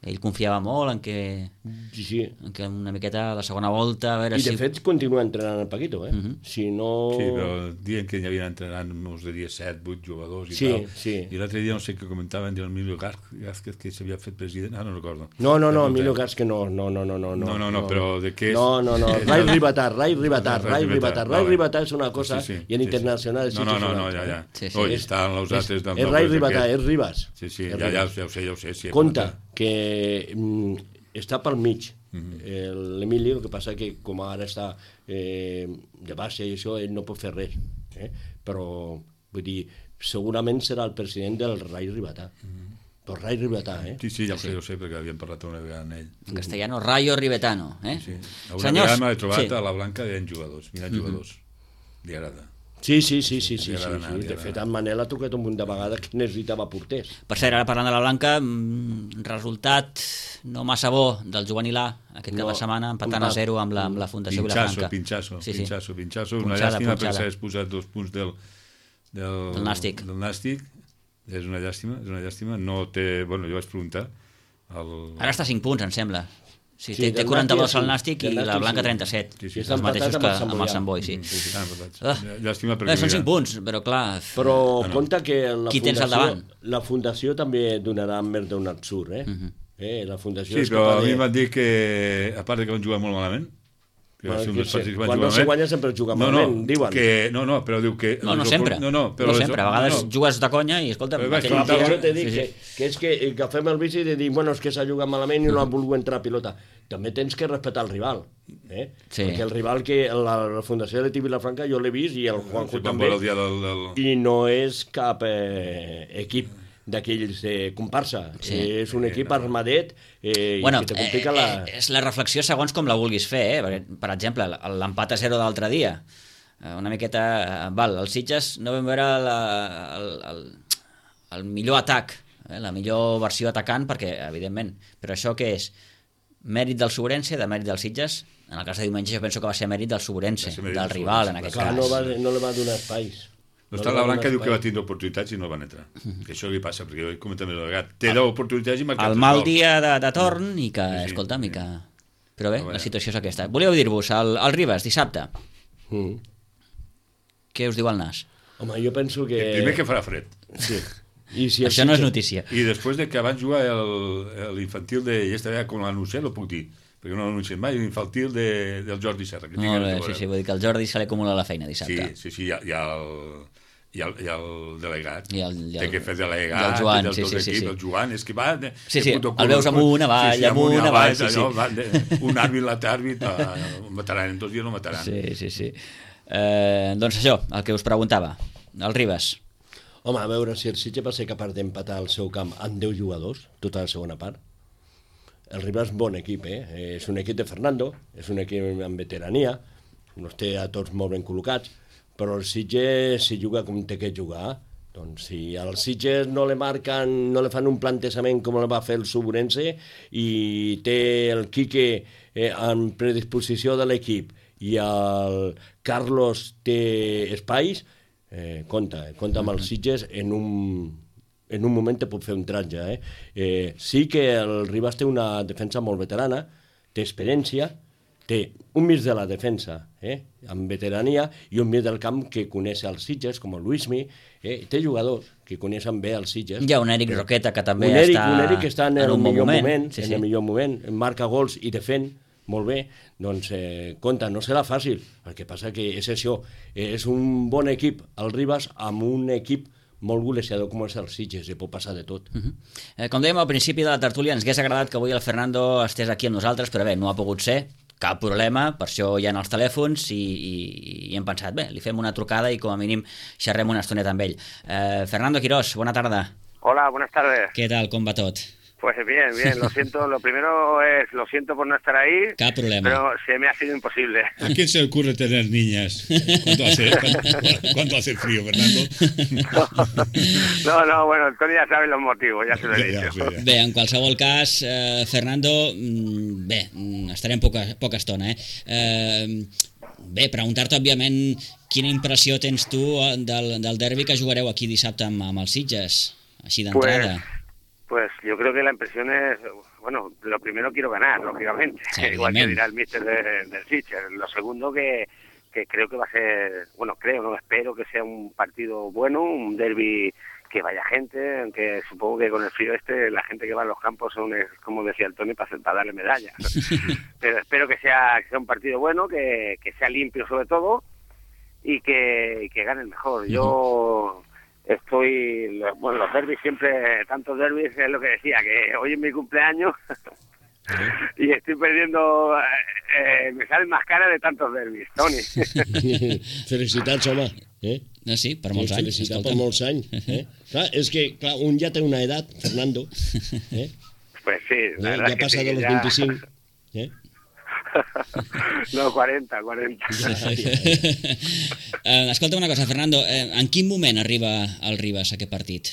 ell confiava molt en que, sí, sí. en que una miqueta a la segona volta, a veure I de si... fet continua entrenant el Paquito, eh? Si no... Sí, però diuen que hi havien entrenant, us diria, set, vuit jugadors i Sí, tal. sí. I l'altre dia no sé què comentaven del Emilio Gázquez, que s'havia fet president. Ah, no recordo. No, no, no, Ja Emilio sé. Gázquez no, no, no, no, no. No, no, no, però de què és? No, no, no, Rai Ribatar, Rai Ribatar, Rai Rai Ribatar, Ribatar, Rai vale. Ribatar és una cosa Sí, sí, i en sí, internacional sí. és No, no, no, una no, altra, ja, eh? ja. Sí, sí. No, i estan els altres... del- És del Rai Boix Ribatar, aquest. és Ribas. Sí, sí, És ja, ja, Ribas. ja ho sé, ja ho sé. Sí, Compte que mm, està pel mig. Mhm. El- L'Emili, el que passa que com ara està eh, de baixa i això, ell no pot fer res. Eh? Però, vull dir, segurament serà el president del Rai Ribatar. Però Rai Ribatar, eh? Sí, sí, ja ho sé, ja ho sé, perquè havíem parlat una vegada amb ell. En castellano, Rayo Ribetano. Eh? Sí. Una Senyors, vegada m'he trobat sí. a la Blanca d'en jugadors, mirant jugadors. Li agrada. Sí, sí, sí, sí, sí, li sí, agrada sí. anar, li De agrada fet, anar. en Manel ha trucat un munt de vegades que necessitava porters. Per cert, ara parlant de la Blanca, mm, resultat no massa bo del juvenil A aquest cap No, de setmana, empatant empat. a zero amb la, amb la Fundació Pinxasso, Vilafranca. pinxasso, sí, sí. pinxasso, pinxasso. Una Punxada, llàstima punxada. perquè s'hagués posat dos punts del, del, Del Nàstic. Del Nàstic. És una llàstima, és una llàstima. No té... Bueno, jo vaig preguntar. El... Ara està a cinc punts, em sembla. Sí, Sí, té, té del quaranta-dos Nàstic, al sí. Nàstic i Del la Nàstic, Blanca sí. trenta-set. Sí, sí, els està mateixos empatat que amb el amb el Sant Sant Boi, sí. Mm, sí, sí, estan empatats. Ah. Llàstima perquè... Eh, són mira, cinc punts, però clar... Però no. compte que la Qui tens al fundació, davant? la fundació també donarà més d'un absurd, eh? eh? La fundació Sí, és però a capaç mi de... m'han dit que, a part de que van jugar molt malament, que va Bueno, ser un que dels sí, partits que van quan jugar no se malament. guanya sempre es juga no, malament, no, diuen. Que, no, no, però diu que... No, no les sempre. opor- No, no, però no les- sempre. A vegades no, no. jugues de conya i, escolta... Però vaig aquell Clar, per preguntar- això t'he dit sí, que, sí. que és que agafem el bici de dir, bueno, és que s'ha jugat malament i no ha volgut entrar a pilota. També tens que respectar el rival. Eh? Sí. Perquè el rival que la, la Fundació de Vilafranca jo l'he vist i el Juanjo Sí, van també, veure el dia del... del... i no és cap eh, equip d'aquells de comparsa. Sí. Eh, és un equip armadet eh, Bueno, i que te eh, complica la... eh, és la reflexió segons com la vulguis fer, eh? Perquè, per exemple, l'empat a zero d'altre dia, eh, una miqueta... eh, Val, els Sitges no vam veure la, el, el, el millor atac, eh? La millor versió atacant, perquè, evidentment, però això què és? Mèrit del Sobrense, de mèrit dels Sitges? En el cas de diumenge jo penso que va ser mèrit del Sobrense, Va ser mèrit del del rival, Sobrense, en aquest Clar, cas. no, va, no li va donar espais. No està li la va Blanca donar diu que va espai. tindre oportunitats i no va entrar. Que això li passa, perquè jo he comentat més vegada. Té deu oportunitats i marcat El tres mal gols. dia de, de torn i que, Sí, sí, escolta'm, sí. i que... Però bé, Però bé. la situació és aquesta. Volíeu dir-vos, el, el Ribes, dissabte, Mm. què us diu el Nas? Home, jo penso que... El primer que farà fred. Sí. I si Això no és notícia. I després de que van jugar l'infantil de... Ja estava com l'anunciat, no puc dir, perquè no l'anuncien mai, l'infantil de, del Jordi Serra. Que Molt bé, sí, sí, vull dir que el Jordi se li acumula la feina dissabte. Sí, sí, sí, hi ha, hi ha el... I el, i el delegat, I el, i el, té que fer delegat, i el Joan, del sí, tot sí, sí, equip, sí. el Joan, és que va... De, sí, sí, de el veus amunt, avall, sí, sí, amunt, avall, avall, sí, sí. Allò, va, de, un àrbit, l'altre àrbit, uh, mataran, en dos dies no mataran. Sí, sí, sí. Eh, doncs això, el que us preguntava, el Ribas. Home, a veure, si el Sitges va ser capaç d'empatar el seu camp amb deu jugadors, tota la segona part, el Ribas és bon equip, eh? És un equip de Fernando, és un equip amb veterania, els té a tots molt ben col·locats, però el Sitges si juga com té que jugar. Doncs si al Sitges no le marcan, no le fan un plantejament com el va fer el Suburense i té el Quique eh, en predisposició de l'equip i el Carlos té espais, eh, compta, compta amb el Sitges en un, en un moment te pot fer un tratge. Eh? Eh, sí que el Ribas té una defensa molt veterana, té experiència, té un mig de la defensa, eh, amb veterania, i un mig del camp que coneix els Sitges, com el Luismi, eh, té jugadors que coneixen bé els Sitges. Hi ha un Eric Roqueta que també un Eric, està, un Eric que està en, en el un millor moment, moment, sí, en sí. el millor moment, marca gols i defèn molt bé, doncs eh, compta, no serà fàcil, el que passa que és això, eh, és un bon equip, el Ribas, amb un equip molt golejador com és el Sitges, i pot passar de tot. Uh -huh. eh, com dèiem al principi de la tertúlia, ens hagués agradat que avui el Fernando estés aquí amb nosaltres, però bé, no ha pogut ser, cap problema, per això hi ha els telèfons i, i, i hem pensat, bé, li fem una trucada i com a mínim xerrem una estoneta amb ell. Eh, Fernando Quirós, bona tarda. Hola, buenas tardes. Què tal, com va tot? Pues bien, bien, lo siento, lo primero es, lo siento por no estar ahí, Cap problema. pero se me ha sido imposible. ¿A quién se le ocurre tener niñas cuando hace, cuando, cuando hace frío, Fernando? No, no, bueno, Toni ya sabe los motivos, ya se lo he Ja, dicho. ja, ja. Bé, en qualsevol cas, eh, Fernando, mm, bé, mm, estarem poca, poca estona, eh? eh bé, preguntar-te, òbviament, quina impressió tens tu del, del derbi que jugareu aquí dissabte amb, amb els Sitges, així d'entrada. Pues, pues yo creo que la impresión es, bueno, lo primero quiero ganar, lógicamente, Sí, igual que evidentment. dirá el míster de- del Sitges. Lo segundo que, que creo que va a ser, bueno, creo, no espero que sea un partido bueno, un derbi que vaya gente, aunque supongo que con el frío este la gente que va a los campos son, es, como decía el Toni, para, hacer- para darle medallas. Pero espero que sea, que sea un partido bueno, que, que sea limpio sobre todo y que, y que gane el mejor. Yo estoy, lo- bueno, los derbis siempre, tantos derbis, es lo que decía, que hoy es mi cumpleaños y estoy perdiendo, eh, eh, me salen más caras de tantos derbis, Toni. Felicitats, home. Eh? No, sí, per molts Sí, anys. felicitats per escolta'm. molts anys. Eh? Clar, és que clar, un ja té una edat, Fernando, eh? Pues sí, la Ja, verdad ja es que passa sí, de los ya- veinticinc. Eh? No, cuarenta, cuarenta. eh, escolta una cosa, Fernando, eh, en quin moment arriba el Ribas a aquest partit?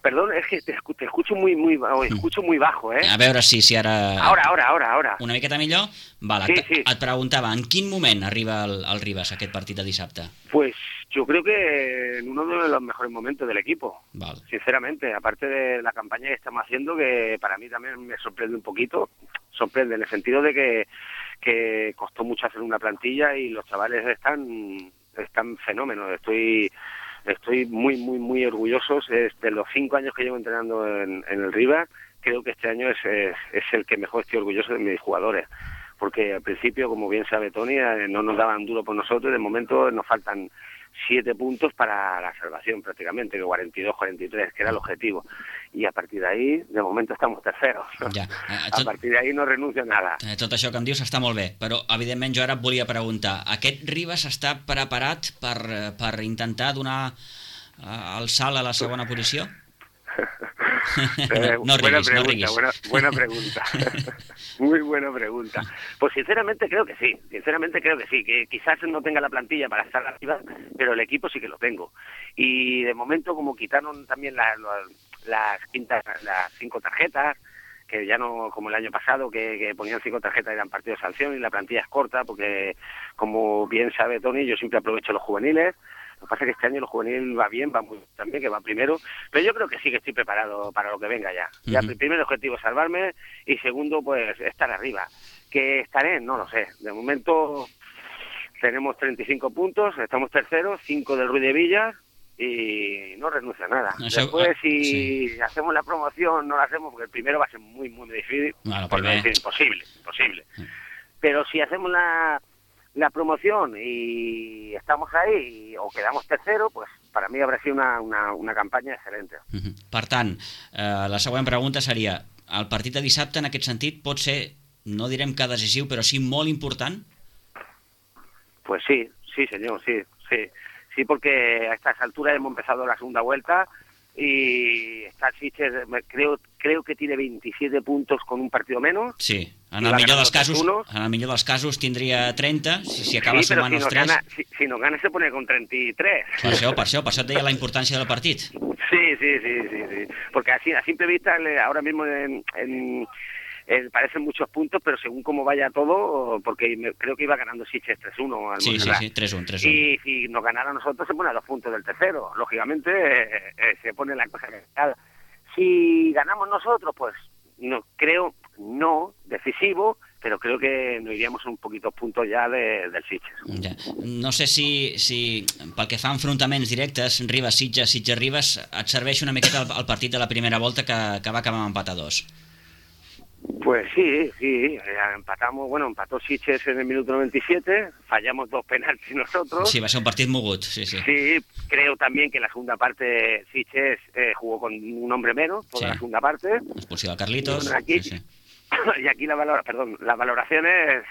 Perdón, es que te, escu- te escucho muy, muy, o escucho muy bajo, ¿eh? A veure si, si ara... Ahora, ahora, ahora, ahora. Una miqueta millor? Vale, Sí, et, sí. et preguntava, en quin moment arriba el, el Ribas a aquest partit de dissabte? Pues yo creo que en uno de los mejores momentos del equipo. Val. Sinceramente, aparte de la campaña que estamos haciendo, que para mí también me sorprende un poquito, sorprende en el sentido de que, que costó mucho hacer una plantilla y los chavales están, están fenómenos. Estoy estoy muy, muy, muy orgulloso. Es de los cinco años que llevo entrenando en, en el Ribas, creo que este año es, es, es el que mejor estoy orgulloso de mis jugadores. Porque al principio, como bien sabe Toni, eh, no nos daban duro por nosotros y de momento nos faltan siete puntos para la salvación prácticamente, que cuarenta y dos, cuarenta y tres, que era el objetivo. Y a partir de ahí, de momento estamos terceros. Ja. Eh, A tot, partir de ahí no renuncio a nada. eh, tot això que em dius està molt bé, però evidentment jo ara et volia preguntar, aquest Ribas està preparat per, eh, per intentar donar eh, el salt a la segona posició? Eh, no buena riguis, pregunta, no riguis. buena, buena pregunta. Muy buena pregunta. Pues sinceramente creo que sí, sinceramente creo que sí, que quizás no tenga la plantilla para estar arriba, pero el equipo sí que lo tengo. Y de momento, como quitaron también la- la- las quintas, las cinco tarjetas, que ya no como el año pasado, que, que ponían cinco tarjetas y eran partidos de sanción y la plantilla es corta, porque como bien sabe Toni, yo siempre aprovecho los juveniles. Lo que pasa es que este año el juvenil va bien, va muy bien también, que va primero, pero yo creo que sí que estoy preparado para lo que venga ya. Ya Ujú. el primer objetivo es salvarme y segundo, pues estar arriba. Que estaré, no lo sé. De momento tenemos treinta y cinco puntos, estamos terceros, cinco del Ruiz de Villas y no renuncia a nada. Eso, Después, ah, si sí. hacemos la promoción, no la hacemos porque el primero va a ser muy, muy difícil. Bueno, por no primer. decir imposible, imposible. Pero si hacemos la, la promoción y estamos ahí o quedamos tercero, pues para mí habrá sido una, una, una campanya excelente. Uh-huh. Per tant, eh, la següent pregunta seria, el partit de dissabte en aquest sentit pot ser, no direm que decisiu, però sí molt important? Pues sí, sí señor, sí, sí. Sí, porque a estas alturas hemos empezado la segunda vuelta y está Sitges, creo, creo que tiene veintisiete puntos con un partido menos. Sí, en el millor dels casos, en el millor dels casos tindria trenta, si, si acaba sí, sumant si els nos tres. Gana, si, si nos gana se pone con treinta y tres. Per això, per això, per això et deia la importància del partit. Sí, sí, sí, sí, sí. Porque así, a simple vista, ahora mismo en, en, en, parecen muchos puntos, pero según cómo vaya todo, porque me, creo que iba ganando Sitges tres uno al Sí, sí, sí, tres uno, tres uno. Y si nos ganara a nosotros, se pone a dos puntos del tercero. Lógicamente, eh, eh, se pone la cosa complicada. Si ganamos nosotros, pues no creo, no decisivo, pero creo que nos iríamos un poquito puntos ya de, del Sitges. Ja. No sé si, si pel que fa a enfrontaments directes, Ribes-Sitges, Sitges-Ribes, et serveix una miqueta el, el partit de la primera volta que, que va acabar amb empat a dos. Pues sí, sí, empatamos, bueno, empató Sitges en el minuto noventa y siete, fallamos dos penaltis nosotros. Sí, va ser un partit mogut, sí, sí. Sí, creo también que en la segunda parte Sitges eh, jugó con un hombre menos, toda sí. la segunda parte. Expulsió de Carlitos. Bueno, aquí, sí, sí. Y aquí la valora, perdón, la valoración es,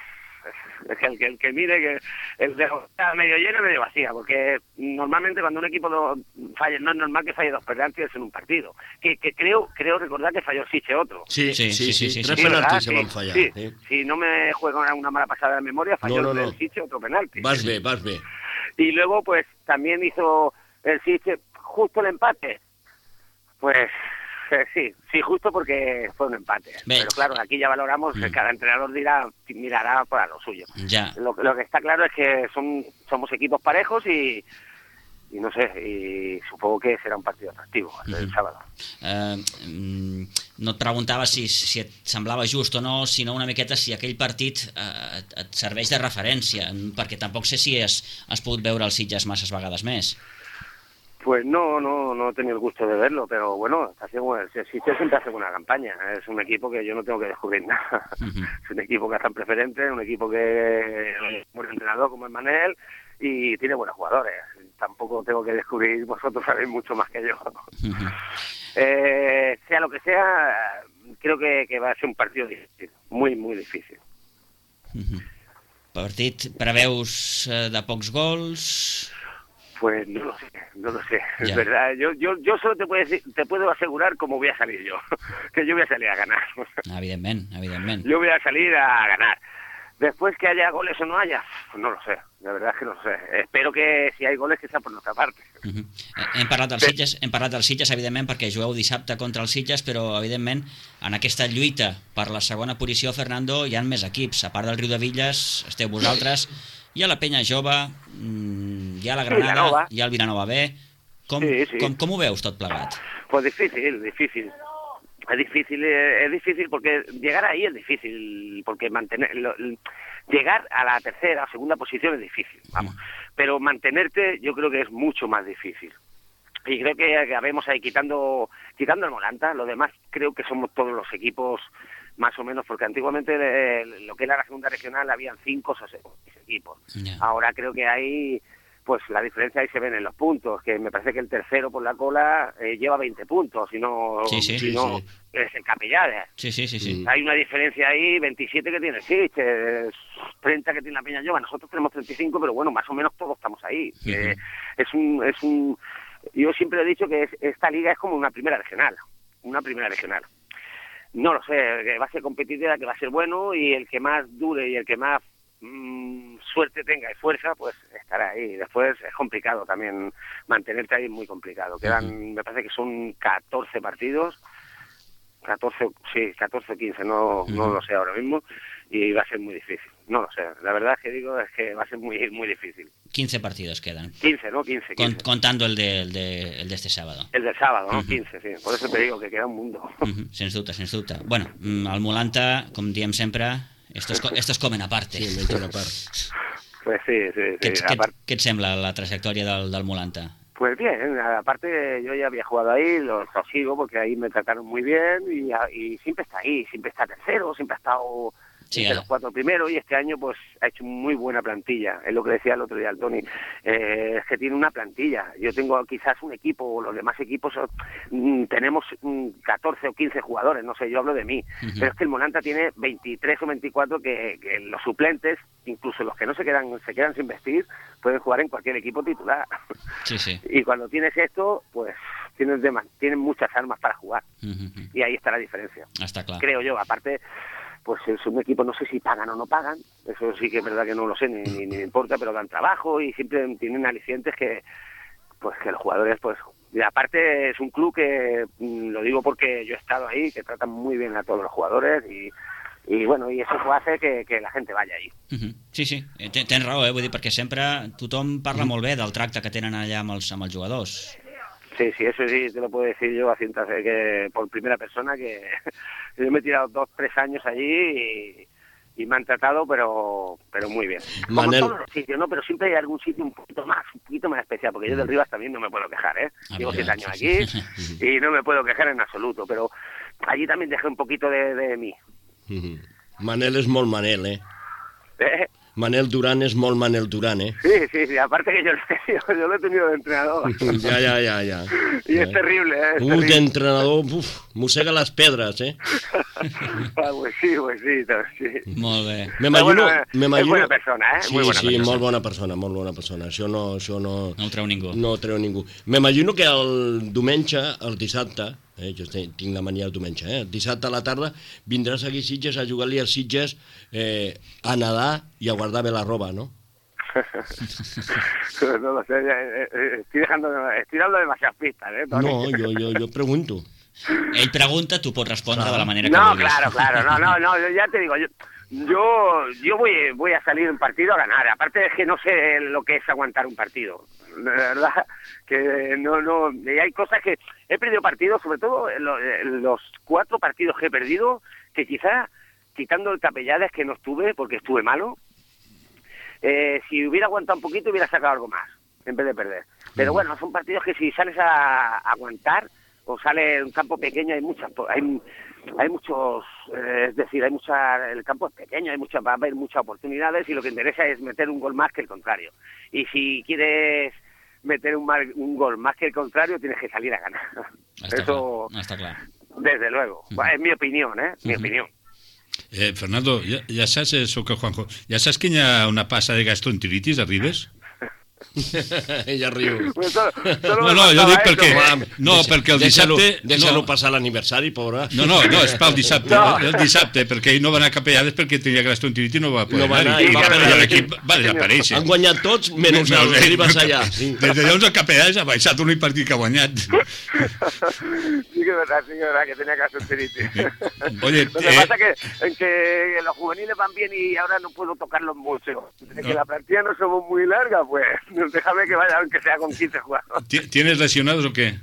es que el que el que mire que el de está medio lleno medio vacía, porque normalmente cuando un equipo do, falla, no es normal que falle dos penaltis en un partido. Que, que creo creo recordar que falló Sitges otro. Sí, sí, sí, sí, sí, sí. Tres sí, penaltis se sí, van fallar. Sí, Sí. Si no me juego una mala pasada de memoria, falló no, no, el no. Sitges otro penalti. Vas bé, vas bé. Y luego pues también hizo el Sitges justo el empate. Pues eh, sí, sí, justo porque fue un empate. Bé. Pero claro, aquí ya valoramos, Mm. cada entrenador dirá, mirará para lo suyo. Ja. Lo, lo que está claro es que son somos equipos parejos y, y no sé, y supongo que será un partido atractivo el Mm-hmm. sábado. Eh, mm, no et preguntava si, si et semblava just o no, sinó una miqueta si aquell partit eh, et, et serveix de referència, perquè tampoc sé si has, has pogut veure els Sitges masses vegades més. Pues no, no, no he tenido el gusto de verlo, pero bueno, está haciendo, el Sitges siempre hace buena campaña. Es un equipo que yo no tengo que descubrir nada. Uh-huh. Es un equipo que está en preferente, un equipo que es un buen entrenador como es Manel y tiene buenos jugadores. Tampoco tengo que descubrir, vosotros sabéis mucho más que yo. Uh-huh. eh, sea lo que sea, creo que, que va a ser un partido difícil, muy, muy difícil. Uh-huh. Partit, preveus eh, de pocs gols? Pues no lo sé, no lo sé, Ya. es verdad. Yo, yo, yo solo te puedo, decir, te puedo asegurar cómo voy a salir yo, que yo voy a salir a ganar. Evidentment, evidentment. Yo voy a salir a ganar. Después que haya goles o no haya, pues no lo sé, la verdad es que no lo sé. Espero que si hay goles que sea por nuestra parte. Uh-huh. Hem parlat dels Sitges, hem parlat dels Sitges, evidentment, perquè jugueu dissabte contra els Sitges, però, evidentment, en aquesta lluita per la segona posició, Fernando, hi ha més equips. A part del Riu de Villes, esteu vosaltres, hi ha la Penya Jove, hi ha la Granada, Vilanova. hi ha el Vilanova B. Com, Sí, sí. com, com ho veus tot plegat? Pues difícil, difícil. Es difícil, eh, es difícil porque llegar ahí es difícil, porque mantener lo- llegar a la tercera o segunda posición es difícil, vamos. Pero mantenerte yo creo que es mucho más difícil. Y creo que acabemos ahí quitando quitando el Molanta, lo demás creo que somos todos los equipos más o menos, porque antiguamente eh, lo que era la segunda regional habían cinco o seis equipos. Ya. Ahora creo que hay, pues la diferencia ahí se ven en los puntos, que me parece que el tercero por la cola eh, lleva veinte puntos, si no, Sí, sí. si Sí, no sí. es el Capellades. Sí, sí, sí, sí. Hay una diferencia ahí, veintisiete que tiene Sitges, treinta que tiene la Peña Llova, nosotros tenemos treinta y cinco, pero bueno, más o menos todos estamos ahí. Ujú. Eh, es un, es un, yo siempre he dicho que es- esta liga es como una primera regional, una primera regional. No lo sé, que va a ser competitiva, que va a ser bueno y el que más dure y el que más mm, suerte tenga y fuerza, pues estará ahí. Después es complicado también mantenerte ahí, es muy complicado. Quedan, Ujú. me parece que son catorce partidos, catorce, sí, catorce, quince, no, no Ujú. lo sé ahora mismo, y va a ser muy difícil. No lo sé, la verdad es que digo es que va a ser muy muy difícil. quince partidos quedan, quince, ¿no? quince, con, quince. contando el de, el, de, el de este sábado. El del sábado, ¿no? Ujú. quince, sí. Por eso te digo que queda un mundo. Uh-huh. Sens dubte, sens dubte. Bueno, mm, el Molanta, com diem sempre, esto es, co- esto es comen aparte. Sí, mengen a part. Pues sí, sí, sí. Què, què, Aparte, què et sembla la trajectòria del, del Molanta? pues bien, aparte yo ya había jugado ahí, lo, lo sigo porque ahí me trataron muy bien y, y siempre está ahí, siempre está tercero, siempre ha estado Sí, entre eh. los cuatro primeros y este año pues ha hecho muy buena plantilla, es lo que decía el otro día el Tony, eh, es que tiene una plantilla, yo tengo quizás un equipo, o los demás equipos son, mm, tenemos mm, catorce o quince jugadores, no sé, yo hablo de mí, Uh-huh. pero es que el Molanta tiene veintitrés o veinticuatro que, que los suplentes, incluso los que no se quedan, se quedan sin vestir, pueden jugar en cualquier equipo titular. Sí, sí. Y cuando tienes esto, pues tienes, de, tienes muchas armas para jugar. Uh-huh. Y ahí está la diferencia. Està clar. Creo yo, aparte, pues es un equipo, no sé si pagan o no pagan, eso sí que es verdad que no lo sé, ni, ni, ni me importa, pero dan trabajo y siempre tienen alicientes que, pues que los jugadores, pues, y aparte es un club que, mm, lo digo porque yo he estado ahí, que tratan muy bien a todos los jugadores y, y bueno, y eso hace que, que la gente vaya ahí. Uh-huh. Sí, sí, Ten- tens raó, eh? Vull dir, perquè sempre tothom parla molt bé del tracte que tenen allà amb els, amb els jugadors. Sí, sí, eso sí, te lo puedo decir yo a cientos, que por primera persona, que yo me he tirado dos, tres años allí y, y me han tratado, pero pero muy bien. Como Manel. en todos los sitios, ¿no? Pero siempre hay algún sitio un poquito más, un poquito más especial, porque yo del Rivas también no me puedo quejar, ¿eh? Ah, Llevo bien, siete años sí, aquí sí. y no me puedo quejar en absoluto, pero allí también dejé un poquito de, de mí. Mhm. Manel és molt Manel, eh? ¿eh? Manel Duran és molt Manel Duran, eh? Sí, sí, sí, aparte que yo, lo he tenido- yo lo he tenido de entrenador. Ja, ja, ja, ja. Y es terrible, ¿eh? Es Un terrible. entrenador, uf, mossega les pedres, eh? Ah, pues sí, pues sí, sí. Molt bé. M'imagino... Però bueno, és m'imagino- bona persona, eh? Sí, Muy buena sí, persona. molt bona persona, molt bona persona. Això no, això no, No ho treu ningú. no ho treu ningú. M'imagino que el diumenge, el dissabte, eh, jo tinc tinc la mania del diumenge, eh, el dissabte a la tarda vindràs aquí a Sitges a jugar-li als Sitges eh, a nedar i a guardar bé la roba, no? No lo sé, eh, eh, estoy dejando, estoy dando demasiadas pistas, ¿eh? Toni? No, jo, jo, jo pregunto. Ell pregunta, tu pots respondre de la manera que No, vulguis. claro, claro, no, no, no, yo ya te digo, yo, yo, yo voy, voy a salir un partido a ganar, aparte es que no sé lo que es aguantar un partido, de verdad, que no, no, y hay cosas que he perdido partidos, sobre todo lo- los cuatro partidos que he perdido, que quizá, quitando el Capellades que no estuve, porque estuve malo, eh, si hubiera aguantado un poquito hubiera sacado algo más, en vez de perder. Pero bueno, son partidos que si sales a, a aguantar, o sale en un campo pequeño, hay muchas, hay, hay muchos, eh, es decir, hay mucha, el campo es pequeño, hay muchas, va a haber muchas oportunidades y lo que interesa es meter un gol más que el contrario. Y si quieres meter un, mar- un gol más que el contrario, tienes que salir a ganar. Està Eso, clar, està clar. desde luego. Bueno, es mi opinión, ¿eh? Mi Ujú. opinión. Eh, Fernando, ja, ja saps, eh, soc el Juanjo, ja saps que hi ha una passa de gastroenteritis a Ribes? Ella riu. Pues solo- solo No, me no, jo faltaba dic eso, perquè... Juan. No, perquè el Deixa-lo dissabte... deixa-lo no, passar l'aniversari, pobra. no, no, no, és pel dissabte, No. el dissabte, perquè ell no va anar a Capellades perquè tenia gastroenteritis i no va poder No va anar, anar, i, i va, va i anar. l'equip va desaparèixer. Han guanyat tots, menys No, el no, Ribas no, allà. Des de llavors el Capellades ha baixat l'únic partit que ha guanyat. Sí que es verdad, sí que es verdad que tenía gastroenteritis. Oye, Lo que eh, pasa que, en que los juveniles van bien y ahora no puedo tocarlos mucho. De que la plantilla no somos muy larga, pues déjame que vaya, aunque sea con quince jugadores. ¿ti- ¿tienes lesionados o qué?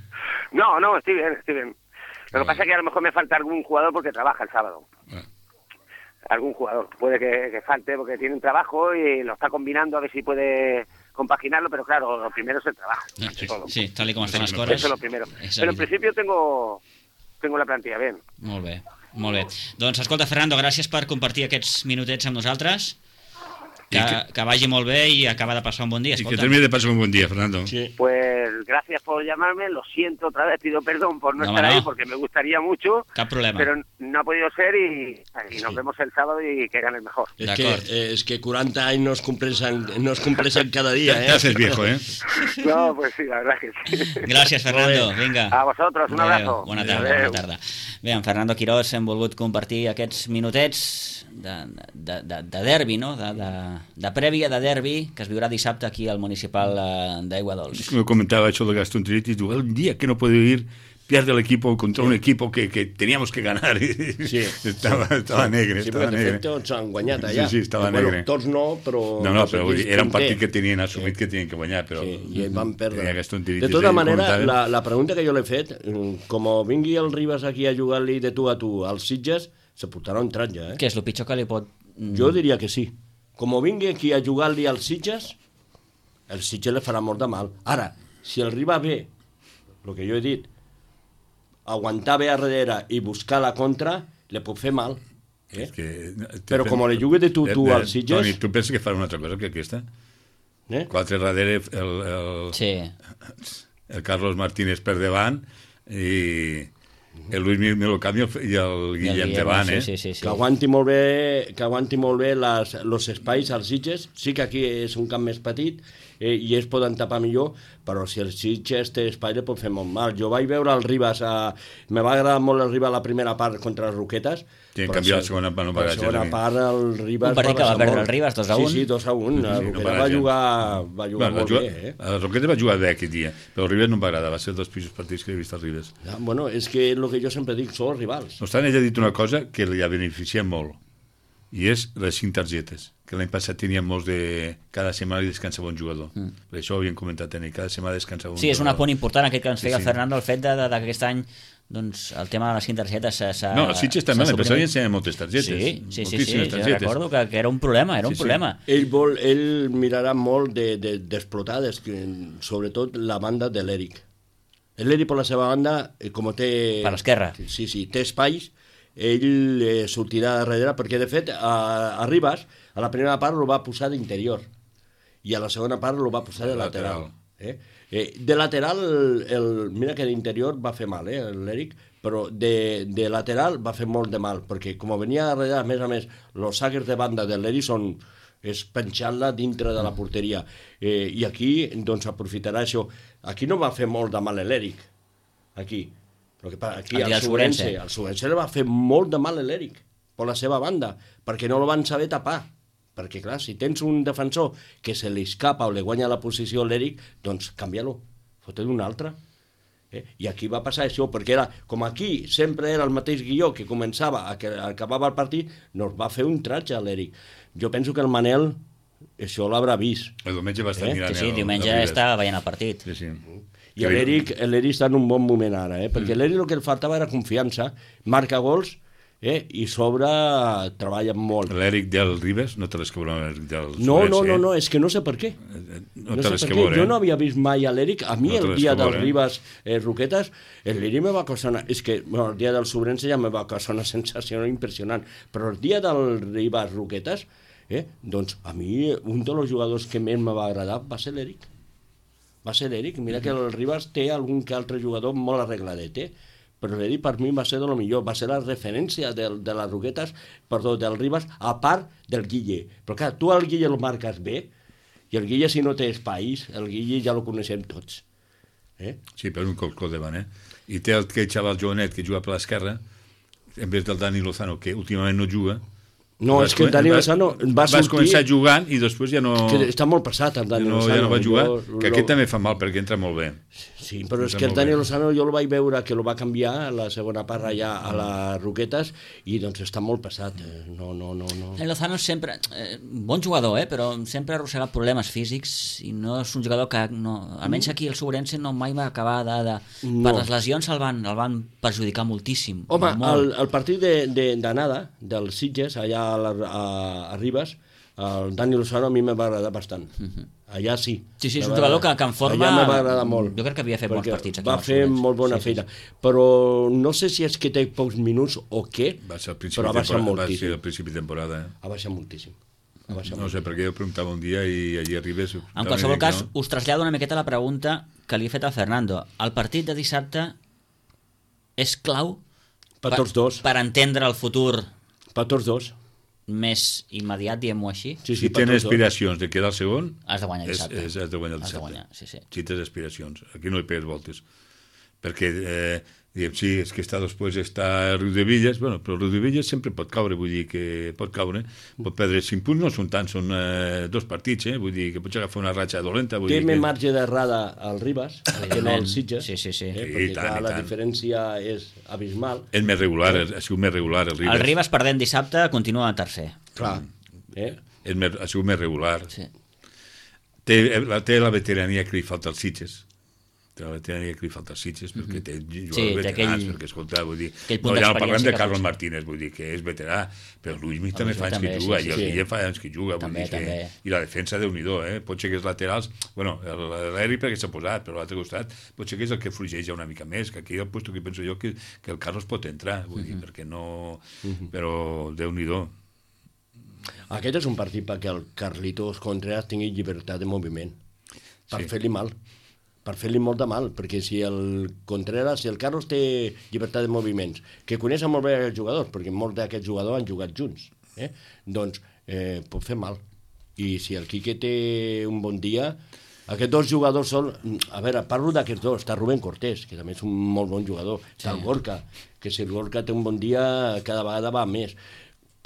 No, no, estoy bien, estoy bien. Lo que pasa es que a lo mejor me falta algún jugador porque trabaja el sábado. Ah. Algún jugador. Puede que, que falte porque tiene un trabajo y lo está combinando a ver si puede compaginarlo, pero claro, lo primero es el trabajo. Ah, ante todo. Sí, tal com estan les Eso coses. Eso es lo primero. és Pero en evident. principio tengo, tengo la plantilla bien. Molt bé, molt bé. Doncs escolta, Fernando, gràcies per compartir aquests minutets amb nosaltres. Que, I que- que vagi molt bé i acaba de passar un bon dia. Y que Escolta. termine de pasar un buen día, Fernando. Sí. Pues gracias por llamarme, lo siento otra vez, pido perdón por no, No, estar no. ahí porque me gustaría mucho, Cap problema. pero no ha podido ser y, y nos Sí. vemos el sábado y que gane el mejor. És que, D'acord. eh, és que quaranta anys no es compleixen, no es compleixen cada dia, Te eh? haces viejo, ¿eh? No, pues sí, la verdad que sí. Gràcies, Fernando. Molt bé. Vinga. A vosotros, un abrazo. Bona tarda, Adéu. bona tarda. Bé, en Fernando Quirós hem volgut compartir aquests minutets de, de, de, de derbi, no? De, de, de prèvia de derbi que es viurà dissabte aquí al municipal eh, d'Aiguadols. Como comentaba hecho de gastroenteritis, digo, el día que no puedo ir, pierde el equipo contra un equipo que, que teníamos que ganar. Sí. estaba, estaba negre, Sí, estava perquè de negre. fet tots han guanyat allà. Sí, sí, estava bueno, negre. Tots no, però... No, no, sé però vull quins dir, era un partit punter. que tenien assumit que tenien que guanyar, però... Sí, i van perdre. tenia gastroenteritis, De tota ell manera, comentava. la, la pregunta que jo l'he fet, mm, com vingui el Ribas aquí a jugar-li de tu a tu als Sitges, se portarà un tratge, eh? Què és el pitjor que li pot... mm, Jo diria que sí. com vingui aquí a jugar-li als Sitges, el Sitges li farà molt de mal. Ara, si el Ribas ve, el que jo he dit, aguantar bé a darrere i buscar la contra, li pot fer mal. Eh? Que, Però com li jugui de tu, tu als Sitges... Toni, tu penses que farà una altra cosa que aquesta? Eh? Quatre darrere, el, el, Sí. el Carlos Martínez per davant i el Luis Milocamio i el Guillem davant, eh? Sí, sí, sí. Que aguanti molt bé, que aguanti molt bé les, los espais als Sitges. Sí que aquí és un camp més petit eh, i es poden tapar millor, però si el Sitges té espai li pot fer molt mal. Jo vaig veure el Ribas, a... me va agradar molt el Ribas la primera part contra les Roquetes. Sí, en canvi la segona part no va La gaire. segona part el Ribas Un partit que va perdre el Ribas dos a un. Sí, sí, dos a un. La Sí, no Roqueta va va gens. jugar, va jugar Bueno, molt juga, bé, eh? el Roqueta va jugar bé aquest dia, però el Ribas no em va agradar, va ser dels pitjors partits que he vist al Ribas. Ja, bueno, és que el que jo sempre dic són els rivals. No obstant, ell ha dit una cosa que li ha beneficiat molt, i és les cinc targetes, que l'any passat tenien molts de... Cada setmana li descansava un jugador. Mm. Per això ho havíem comentat, eh? Cada setmana descansava un Sí, és un jugador. apunt important aquest que ens feia Sí, el sí. Fernando, el fet de, de, de que aquest any doncs, el tema de les cinc targetes s'ha... No, els Sitges també, s'ha l'any passat suprimit. hi ensenya moltes targetes. Sí, sí, sí, sí, moltíssimes sí, targetes. recordo que, que era un problema, era un Sí, sí. problema. Ell, vol, ell mirarà molt d'explotar, de, de, sobretot la banda de l'Eric. L'Eric, per la seva banda, eh, com té... Per l'esquerra. Sí, sí, té espais, ell eh, sortirà darrere, perquè de fet a, a Ribas, a la primera part lo va posar d'interior i a la segona part lo va posar de, De lateral. lateral. Eh? Eh, de lateral, el, el, mira que d'interior va fer mal, eh, l'Eric, però de, de lateral va fer molt de mal, perquè com venia darrere, a més a més, els saques de banda de l'Eric són és penjant-la dintre de la porteria. Eh, I aquí, doncs, aprofitarà això. Aquí no va fer molt de mal l'Eric, aquí. Però que, aquí El dia al del Sobrense, Sobrense. al Sobrense li va fer molt de mal l'Eric, per la seva banda, perquè no el van saber tapar. Perquè, clar, si tens un defensor que se li escapa o li guanya la posició a l'Eric, doncs canvia-lo, fot-li un altre. Eh? I aquí va passar això, perquè era, com aquí sempre era el mateix guió que començava, a que acabava el partit, no va fer un tratge a l'Eric. Jo penso que el Manel això l'haurà vist. El diumenge va estar Eh? mirant Sí, sí, el- diumenge el Ribas. estava veient el partit. Sí, sí. I a l'Eric l'Eric està en un bon moment ara, eh? perquè Mm. l'Eric el que li faltava era confiança, marca gols eh? i sobre treballa molt. L'Eric del Ribas no té les que veure amb l'Eric del No, Sobrense, no, no, eh? no, és que no sé per què. No, No té sé les per que què. veure, Jo eh? no havia vist mai a l'Eric. A mi No té el les dia que del veure, eh? Ribas eh, Roquetes, l'Eric me va causar una... És que bueno, el dia del Sobrense ja me va causar una sensació impressionant, però el dia del Ribas Roquetes, eh, doncs a mi un dels jugadors que més me va agradar va ser l'Eric. Va ser l'Eric. Mira que el Ribas té algun que altre jugador molt arregladet, eh? Però l'Eric per mi va ser de lo millor, va ser la referència de, de les Roquetes, perdó, del Ribas, a part del Guille. Però clar, tu el Guille el marques bé, i el Guille si no té espais, el Guille ja lo coneixem tots. Eh? Sí, per un colcó davant, eh? I té el, aquell xaval jovenet que juga per l'esquerra, en vez del Dani Lozano, que últimament no juga. No, Vas és que el comen- Dani vas- Lozano va Vas sortir... començar jugant i després ja no... Que està molt passat, el Dani no, Lozano. ja no va jugar, Jo, que lo- aquest també fa mal perquè entra molt bé. Sí, però és Entra que el molt Dani bé. Lozano jo el vaig veure que el va canviar a la segona part allà a les Roquetes i doncs està molt passat. eh, No, no, no, no. El Lozano sempre, eh, bon jugador, eh, però sempre ha arrossegat problemes físics i no és un jugador que, no, almenys aquí el Sobrense no mai va acabar de... de No. Per les lesions el van, el van perjudicar moltíssim. Home, molt. el, el partit de- de- d'anada de, dels Sitges, allà a, la, a, a Ribas, el Dani Lozano a mi me va agradar bastant. Allà sí. Sí, sí, és Me un va jugador que, agradar. que en forma... Allà me va agradar molt. Jo crec que havia fet bons perquè partits aquí. va amb els fer Sobrense. molt bona Sí, sí, feina. sí. Però no sé si és que té pocs minuts o què, Va ser al principi, però ha de baixat temporada, va ser moltíssim. al principi de temporada. Eh? Ha baixat moltíssim. Ha baixat No sé, perquè jo preguntava un dia i allí arribes... En qualsevol cas, us trasllado una miqueta la pregunta que li he fet al Fernando. El partit de dissabte és clau Per tots dos. per entendre el futur Per tots dos. més immediat, diguem-ho així? Sí, Si per tens tots dos. aspiracions de quedar el segon, Has de guanyar és, dissabte. és, has de guanyar el Has de dissabte. guanyar, sí, sí. Si tens aspiracions. Aquí no hi pegues voltes. Perquè, eh, diguem, sí, és que està després està Riu de Villes, bueno, però Riu de Villes sempre pot caure, vull dir que pot caure, pot perdre cinc punts, no són tants, són eh, dos partits, eh? Vull dir que pots agafar una ratxa dolenta. Vull Té dir més que... marge d'errada al Ribas que no al Sitges. Sí, sí, sí. Eh? Sí, Perquè i tant, clar, i la tant. diferència és abismal. És més regular, ha sigut més regular el Ribas. El Ribas perdent dissabte continua tercer. Clar. Eh? És més, ha sigut més regular. Sí. Té la, té la veterania que li falta als Sitges. tenia que li falta els Sitges perquè té jugadors Sí, té veterans, aquell- perquè, escolta, vull dir, aquell punt no, ja no parlem d'experiència de que Carlos potser- Martínez, vull dir, que és veterà, però Luis Mig també Luis fa anys també, que sí, juga, sí, i el sí. Guillem fa anys que juga, vull També, dir que... també. I la defensa, Déu-n'hi-do, eh? Pot ser que els laterals... Bueno, l'Eri perquè s'ha posat, però a l'altre costat pot ser que és el que fluixeix ja una mica més, que aquí el puesto que penso jo que, que el Carlos pot entrar, vull dir, perquè no... Però Déu-n'hi-do. Aquest és un partit perquè el Carlitos Contreras tingui llibertat de moviment, per Sí. fer-li mal, per fer-li molt de mal, perquè si el Contreras, si el Carlos té llibertat de moviments, que coneixen molt bé els jugadors, perquè molts d'aquests jugadors han jugat junts, eh? doncs eh, pot fer mal. I si el Quique té un bon dia, aquests dos jugadors són... A veure, parlo d'aquests dos, està Rubén Cortés, que també és un molt bon jugador, està el Gorka, que si el Gorka té un bon dia, cada vegada va més.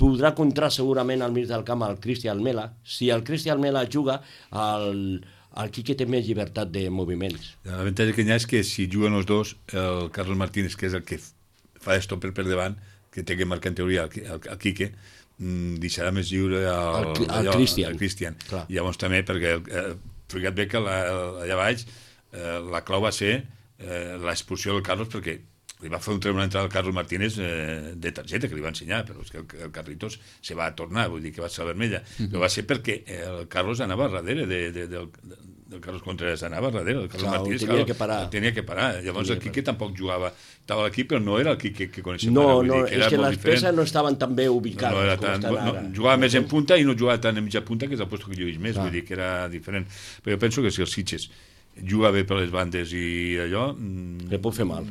Podrà contrar segurament al mig del camp el Cristian Mela. Si el Cristian Mela juga, el, el Quique té més llibertat de moviments. L'avantatge que hi ha és que si juguen els dos, el Carlos Martínez, que és el que fa d'estopper per davant, que té que marcar en teoria el, el, el Quique, deixarà més lliure el, El- el allò, Cristian. el Cristian. Clar. I llavors també, perquè eh, fica't bé que la, allà baix eh, la clau va ser eh, l'expulsió del Carlos, perquè li va fer un treure una entrada al Carlos Martínez eh, de targeta, que li va ensenyar, però és que el, el Carlitos se va tornar, vull dir que va ser vermella, mm -hmm. però va ser perquè el Carlos anava darrere de, de, del, del Carlos Contreras, anava darrere, el Carlos Clar, Martínez, tenia clar, que parar. el tenia que parar. Llavors Tenia el Quique tampoc jugava, estava aquí, però no era el Quique que coneixem No, ara, vull no, dir que és era que molt les diferent. peces no estaven tan bé ubicades No, no era com tan, estan no, ara. jugava més en punta i no jugava tant en mitja punta, que és el lloc que jo he vist més, Clar. vull dir que era diferent. Però jo penso que si el Sitges juga bé per les bandes i allò... mm, Le pot fer mal.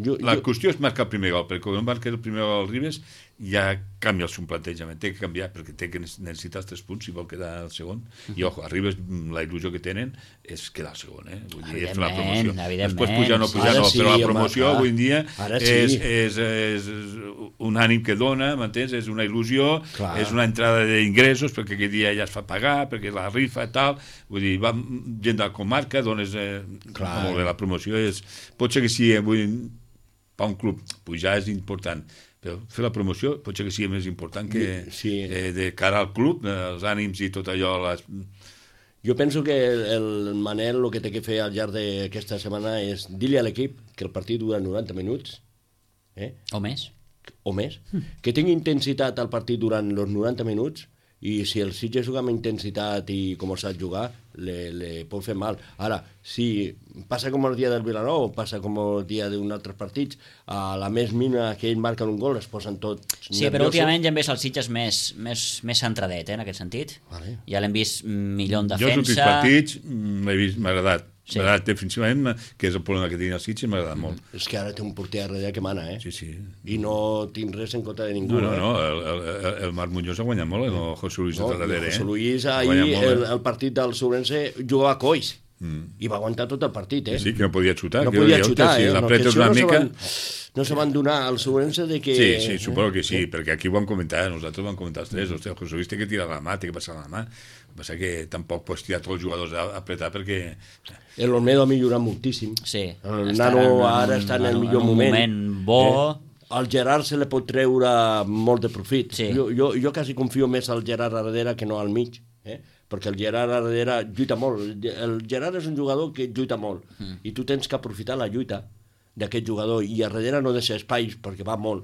Jo, La jo, qüestió és marcar el primer gol, perquè quan marca el primer gol al Ribes ja canvia el seu plantejament, té que canviar perquè té que necessitar els tres punts si vol quedar el segon, i ojo, a Ribes la il·lusió que tenen és quedar el segon, eh? Vull dir, és fer la promoció. Evidentment, Després pujar o no pujar, Ara no, sí, però la home, promoció clar. avui en dia Ara és, sí. és, és, és un ànim que dona, m'entens? És una il·lusió, Clar. és una entrada d'ingressos perquè aquell dia ja es fa pagar, perquè la rifa i tal, vull dir, va gent de la comarca, dones... Eh, Clar. molt bé, la promoció és... Pot ser que sí, eh, vull per un club pujar és important, però fer la promoció pot ser que sigui més important que Sí. eh, de cara al club, eh, els ànims i tot allò. Les... jo penso que el, el Manel el que té que fer al llarg d'aquesta setmana és dir-li a l'equip que el partit dura noranta minuts, eh? O més. o més, que tingui intensitat al partit durant els noranta minuts, i si el Sitges juga amb intensitat i com el sap jugar, le, le pot fer mal. Ara, si passa com el dia del Vilanova o passa com el dia d'un altre partits, a la més mínima que ells marquen un gol es posen tots Sí, però últimament ja hem vist el Sitges més, més, més centradet, eh, en aquest sentit. Vale. Ja l'hem vist millor en Jo els últims defensa. partits mm, l'he vist, m'ha agradat. Sí. M'ha agradat defensivament, que és el problema que tenia el Sitges, m'ha agradat molt. És que ara té un porter a darrere que mana, eh? Sí, sí. I no tinc res en contra de ningú. No, no, eh? no, el, el, el Marc Muñoz ha guanyat molt, el José Luis No, no, darrere. José eh? Luis Ha ahir, guanyat molt, el, eh? el partit del Sobrense, jugava a coix Mm. i va aguantar tot el partit, eh? Sí, que no podia xutar. no que podia dieu, xutar, si eh? No, que l'apretes això una no se mica... van, no se van donar al Sobrense de que... Sí, sí, suposo que sí, perquè aquí ho vam comentar, nosaltres ho vam comentar els tres, hòstia, el José Luis té que tirar la mà, té que passar la mà, el que passa que tampoc pots tirar tots els jugadors a apretar perquè... El Olmedo ha millorat moltíssim. Sí. El Està nano en un- ara està en el en millor un moment. moment bo. Eh? Al Gerard se li pot treure molt de profit. Sí. Jo, jo, jo quasi confio més al Gerard a darrere que no al mig, eh? perquè el Gerard a darrere lluita molt. El Gerard és un jugador que lluita molt, mm. i tu tens que aprofitar la lluita d'aquest jugador, i a darrere no deixa espais perquè va molt.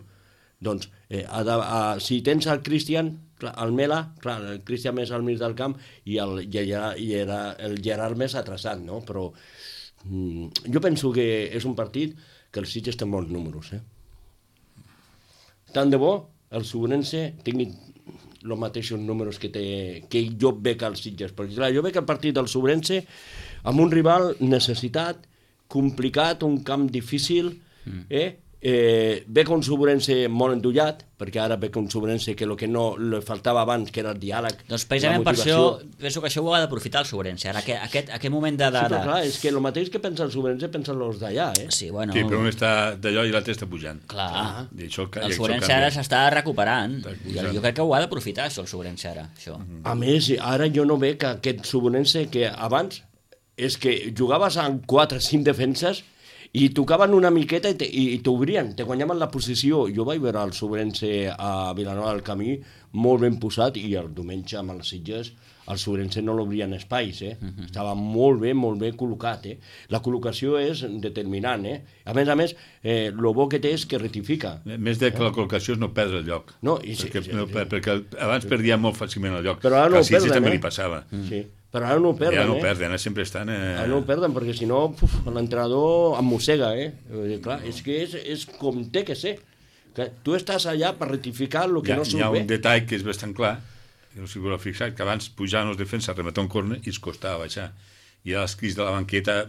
Doncs, eh, ha de, a, si tens el Cristian, clar, el Mela, clar, el Cristian més al mig del camp i el, i el, i era el Gerard més atrasat, no? Però mm, jo penso que és un partit que el Sitges té molts números, eh? Tant de bo el Sobrense tingui els mateixos números que, té, que jo veig al Sitges, perquè clar, jo veig el partit del Sobrense amb un rival necessitat, complicat, un camp difícil, eh? Eh, veig un Sobrense molt endollat, perquè ara veig un Sobrense que el que no li faltava abans, que era el diàleg, Doncs precisament la per això, motivació. penso que això ho ha d'aprofitar el Sobrense. Ara, aquest, aquest, aquest moment de... de, Sí, però de... clar, és que el mateix que pensa el Sobrense pensen els d'allà, eh? Sí, bueno... Sí, però un està d'allò i l'altre està pujant. Clar, I això, i el això Sobrense canvia. ara s'està recuperant. Està Jo, pujant. jo crec que ho ha d'aprofitar, això, el Sobrense ara. Això. A més, ara jo no veig aquest Sobrense que abans és que jugaves amb quatre o cinc defenses i tocaven una miqueta i, te, i t'obrien, te guanyaven la posició. Jo vaig veure el Sobrense a Vilanova del Camí molt ben posat i el diumenge amb els Sitges el Sobrense no l'obrien espais, eh? Uh-huh. Estava molt bé, molt bé col·locat, eh? La col·locació és determinant, eh? A més a més, eh, el bo que té és que rectifica. Més de que la col·locació és no perdre el lloc. No, i sí, perquè, sí, no, sí. perquè abans perdia molt fàcilment el lloc. Però ara no que ho perden, també eh? li passava. Sí. Però ara no ho perden, ja no ho eh? perden, ara sempre estan... Eh... Ara no ho perden, perquè si no, puf, l'entrenador em mossega, eh? Dir, clar, és que és, és com té que ser. Que tu estàs allà per rectificar el que hi ha, no surt hi ha bé. un detall que és bastant clar, que no s'hi voleu fixar, que abans pujaven els defenses, rematar un córner i es costava baixar. I ara els crits de la banqueta,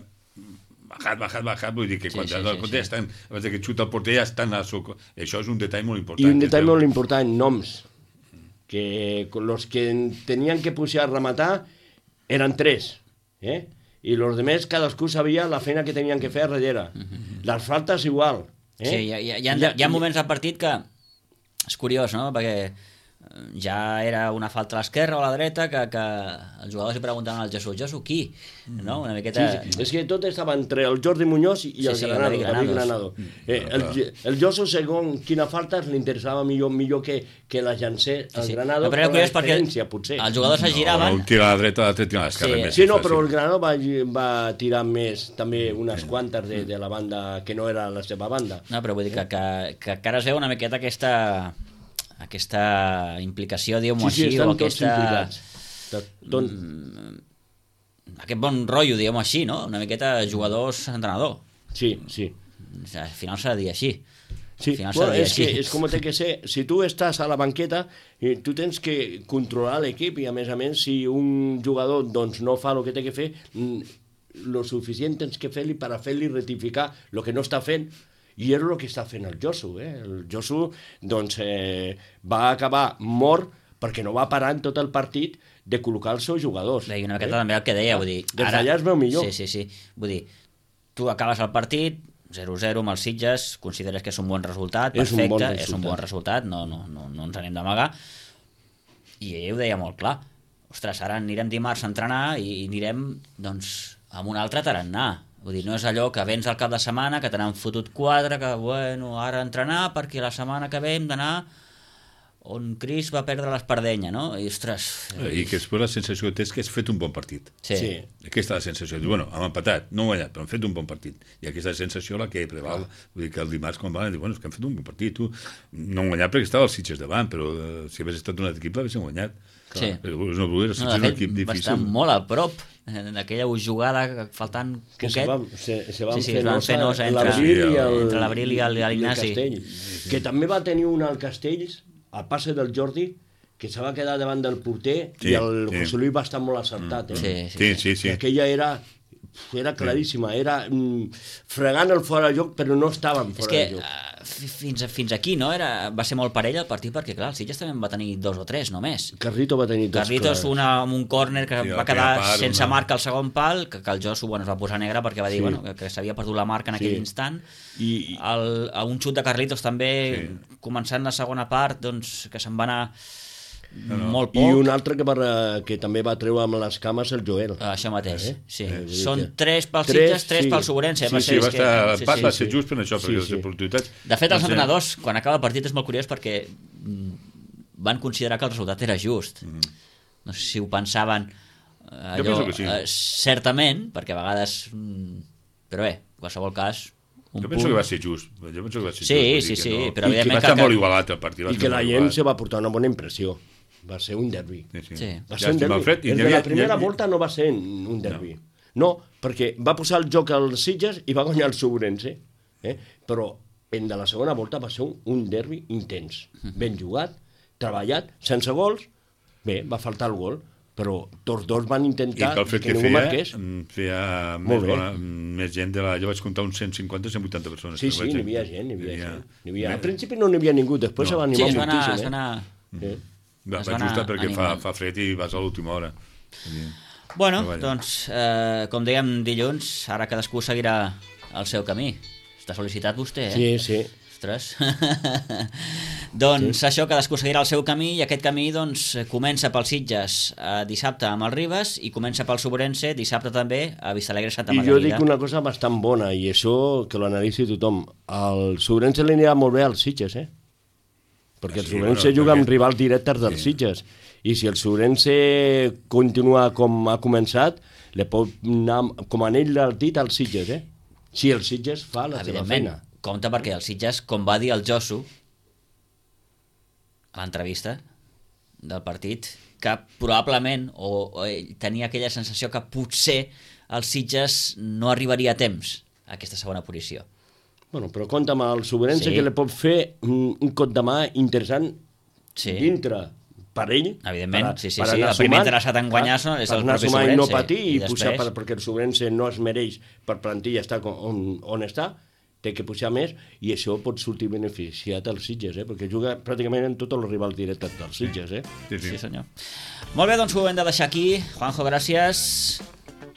bajat, bajat, bajat, vull dir que quan sí, sí, el sí, porter sí. estan, abans que xuta el porter ja estan a soco. Això és un detall molt important. I un detall que molt important, noms. Que los que tenien que pujar a rematar eren tres, eh? I los demés cadascú sabia la feina que tenien que fer a darrere. Les faltes igual. Eh? Sí, hi ha, hi, ha, hi, ha, hi ha moments del partit que és curiós, no? Perquè ja era una falta a l'esquerra o a la dreta que, que els jugadors li preguntaven al Jesús, Jesús, qui? No? Una miqueta... Sí, sí. És que tot estava entre el Jordi Muñoz i Sí, el sí, Granado, el David Granados. Granado. Eh, el, el Jesús, segons quina falta, li interessava millor millor que, que la llancés el Sí, sí. Granado, No, però per era la curiós perquè diferència, potser. els jugadors es No, giraven... un tira a la dreta, l'altre tira a l'esquerra. Sí. més Sí, no, fàcil. però el Granado va, va tirar més, també unes quantes de, de la banda que no era la seva banda. No, però vull dir que, que, que encara es veu una miqueta aquesta aquesta implicació, diguem-ho Sí, sí, així, estan o tots aquesta... implicats. Tot, tot... aquest bon rotllo, diguem-ho així, no? Una miqueta jugadors-entrenador. Sí, sí. Al final s'ha de dir així. Sí, Al final s'ha bueno, de dir és, que, així. és com té que ser. Si tu estàs a la banqueta, eh, tu tens que controlar l'equip i, a més a més, si un jugador doncs, no fa el que té que fer, lo suficient tens que fer-li per a fer-li rectificar el que no està fent. I és el que està fent el Josu. Eh? El Josu doncs, eh, va acabar mort perquè no va parar en tot el partit de col·locar els seus jugadors. I una miqueta eh? també el que deia, vull dir... Des d'allà es veu millor. Sí, sí, sí. Vull dir, tu acabes el partit, zero zero amb els Sitges, consideres que és un bon resultat, És un perfecte, bon és un resultat. bon resultat, no, no, no, no ens anem d'amagar. I ell ho deia molt clar. Ostres, ara anirem dimarts a entrenar i anirem, doncs, amb un altre tarannà. Vull dir, no és allò que vens al cap de setmana, que te n'han fotut quatre, que, bueno, ara entrenar, perquè la setmana que ve hem d'anar on Cris va perdre l'Espardenya, no? I, ostres... I que després la sensació que té és que has fet un bon partit. Sí. Sí. Aquesta és la sensació. Diu, bueno, hem empatat, no hem guanyat, però hem fet un bon partit. I aquesta sensació la que preval. Vull dir que el dimarts, quan van, diu, bueno, és que hem fet un bon partit. Tu no hem guanyat perquè estava els Sitges davant, però eh, si hagués estat un altre equip l'haguéssim guanyat. Sí. Però no voler, el No, Sitges de és un fet, equip va estar difícil. molt a prop en aquella jugada faltant Que poquet. se van, se, se van Sí, sí, fer es van fer nosa entre- l'Abril i el, entre l'Abril i el- i l'Ignasi. Castell. Que també va tenir un al Castells, al passe del Jordi, que se va quedar davant del porter Sí, i el sí. José Luis va estar molt acertat. Eh? Sí, Sí, sí, sí. I aquella era, era claríssima, era mm, fregant el fora de joc, però no estaven És fora que de joc. uh, fins, a, fins aquí no era, va ser molt parell el partit perquè clar, el Sitges també en va tenir dos o tres només. Carrito va tenir dos Carlitos clars. una amb un còrner que Sí, va la quedar primera part, sense una- marca al segon pal, que, que el Josu bueno, es va posar negre perquè va dir Sí. bueno, que, que s'havia perdut la marca en aquell Sí. instant. I- El, a un xut de Carlitos també, Sí. començant la segona part, doncs, que se'n va anar no. molt I poc. un altre que, va, que també va treure amb les cames el Joel. Això mateix, Eh? sí. Eh, vull dir Són que- tres pels Tres, Sitges, tres sí. pel Sobrense. Sí, va sí, ser, va és estar, que, l'empat sí, va sí. ser just per això, perquè Sí, les sí. oportunitats... De fet, va els ser- entrenadors, quan acaba el partit, és molt curiós perquè mm, van considerar que el resultat era just. Mm. No sé si ho pensaven eh, Jo allò, penso que sí. eh, certament, perquè a vegades... Mm, però bé, en qualsevol cas... Un Jo penso punt... que va ser just. Jo penso que va ser Sí, just. vull sí, dir que sí, no... però I que evidentment va estar que- molt igualat el partit. va I ser que la molt gent igualat. se va portar una bona impressió. Va ser un derbi. Sí, sí. Sí. Va ser un Llàstima, derbi. Alfred, i El n'hi de havia- la primera n'hi havia- volta no va ser un derbi. No. no, perquè va posar el joc als Sitges i va guanyar el Sobrense. Eh? Però en de la segona volta va ser un, un derbi intens. Ben jugat, treballat, sense gols. Bé, va faltar el gol, però tots dos van I intentar que el fet que, que ningú feia, marqués. mm, feia Molt més, bé. bona, més gent de la... Jo vaig comptar uns cent cinquanta cent vuitanta persones. Sí, que sí, vaig- n'hi havia gent, n'hi havia gent. N'hi havia... Al principi no n'hi havia ningú, després No. se va Sí, animar es va anar... moltíssim. Es va Eh? anar... Sí. Va, es va va anar justa perquè fa, animant. fa fred i vas a l'última hora. Vull dir, Bueno, Treballa. doncs, eh, com dèiem dilluns, ara cadascú seguirà el seu camí. Està sol·licitat vostè, eh? Sí, sí. Ostres. Doncs sí. Això, cadascú seguirà el seu camí i aquest camí doncs, comença pel Sitges eh, dissabte amb el Ribes i comença pel Sobrense dissabte també a Vistalegre Santa Margarida. I jo dic una cosa bastant bona i això que lo analitzi tothom. El Sobrense li anirà molt bé als Sitges, eh? Perquè el sí, Sobrense bueno, juga perquè... amb rivals directes dels sí. Sitges i si el Sobrense continua com ha començat li pot anar com a anell del dit als Sitges, eh? Si el Sitges fa la seva feina. Compte perquè el Sitges, com va dir el Josu a l'entrevista del partit, que probablement o, o tenia aquella sensació que potser el Sitges no arribaria a temps a aquesta segona posició. Bueno, però compte amb el Sobrense sí. que li pot fer un, un cop de mà interessant sí. dintre per ell. Evidentment, per, sí, sí, per sí. El primer interessat en guanyar és el propi Sobrense. I no patir i, i pujar per, perquè el Sobrense no es mereix per plantilla estar on, on està, té que pujar més i això pot sortir beneficiat als Sitges, eh? Perquè juga pràcticament en tots els rivals directes dels Sitges. Eh? Sí, sí. Sí, senyor. Molt bé, doncs ho hem de deixar aquí. Juanjo, gràcies.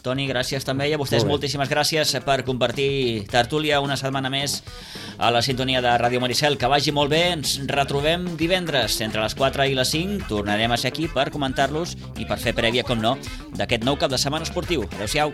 Toni, gràcies també. I a vostès moltíssimes gràcies per compartir tertúlia una setmana més a la sintonia de Ràdio Maricel. Que vagi molt bé. Ens retrobem divendres entre les quatre i les cinc. Tornarem a ser aquí per comentar-los i per fer prèvia, com no, d'aquest nou cap de setmana esportiu. Adéu-siau.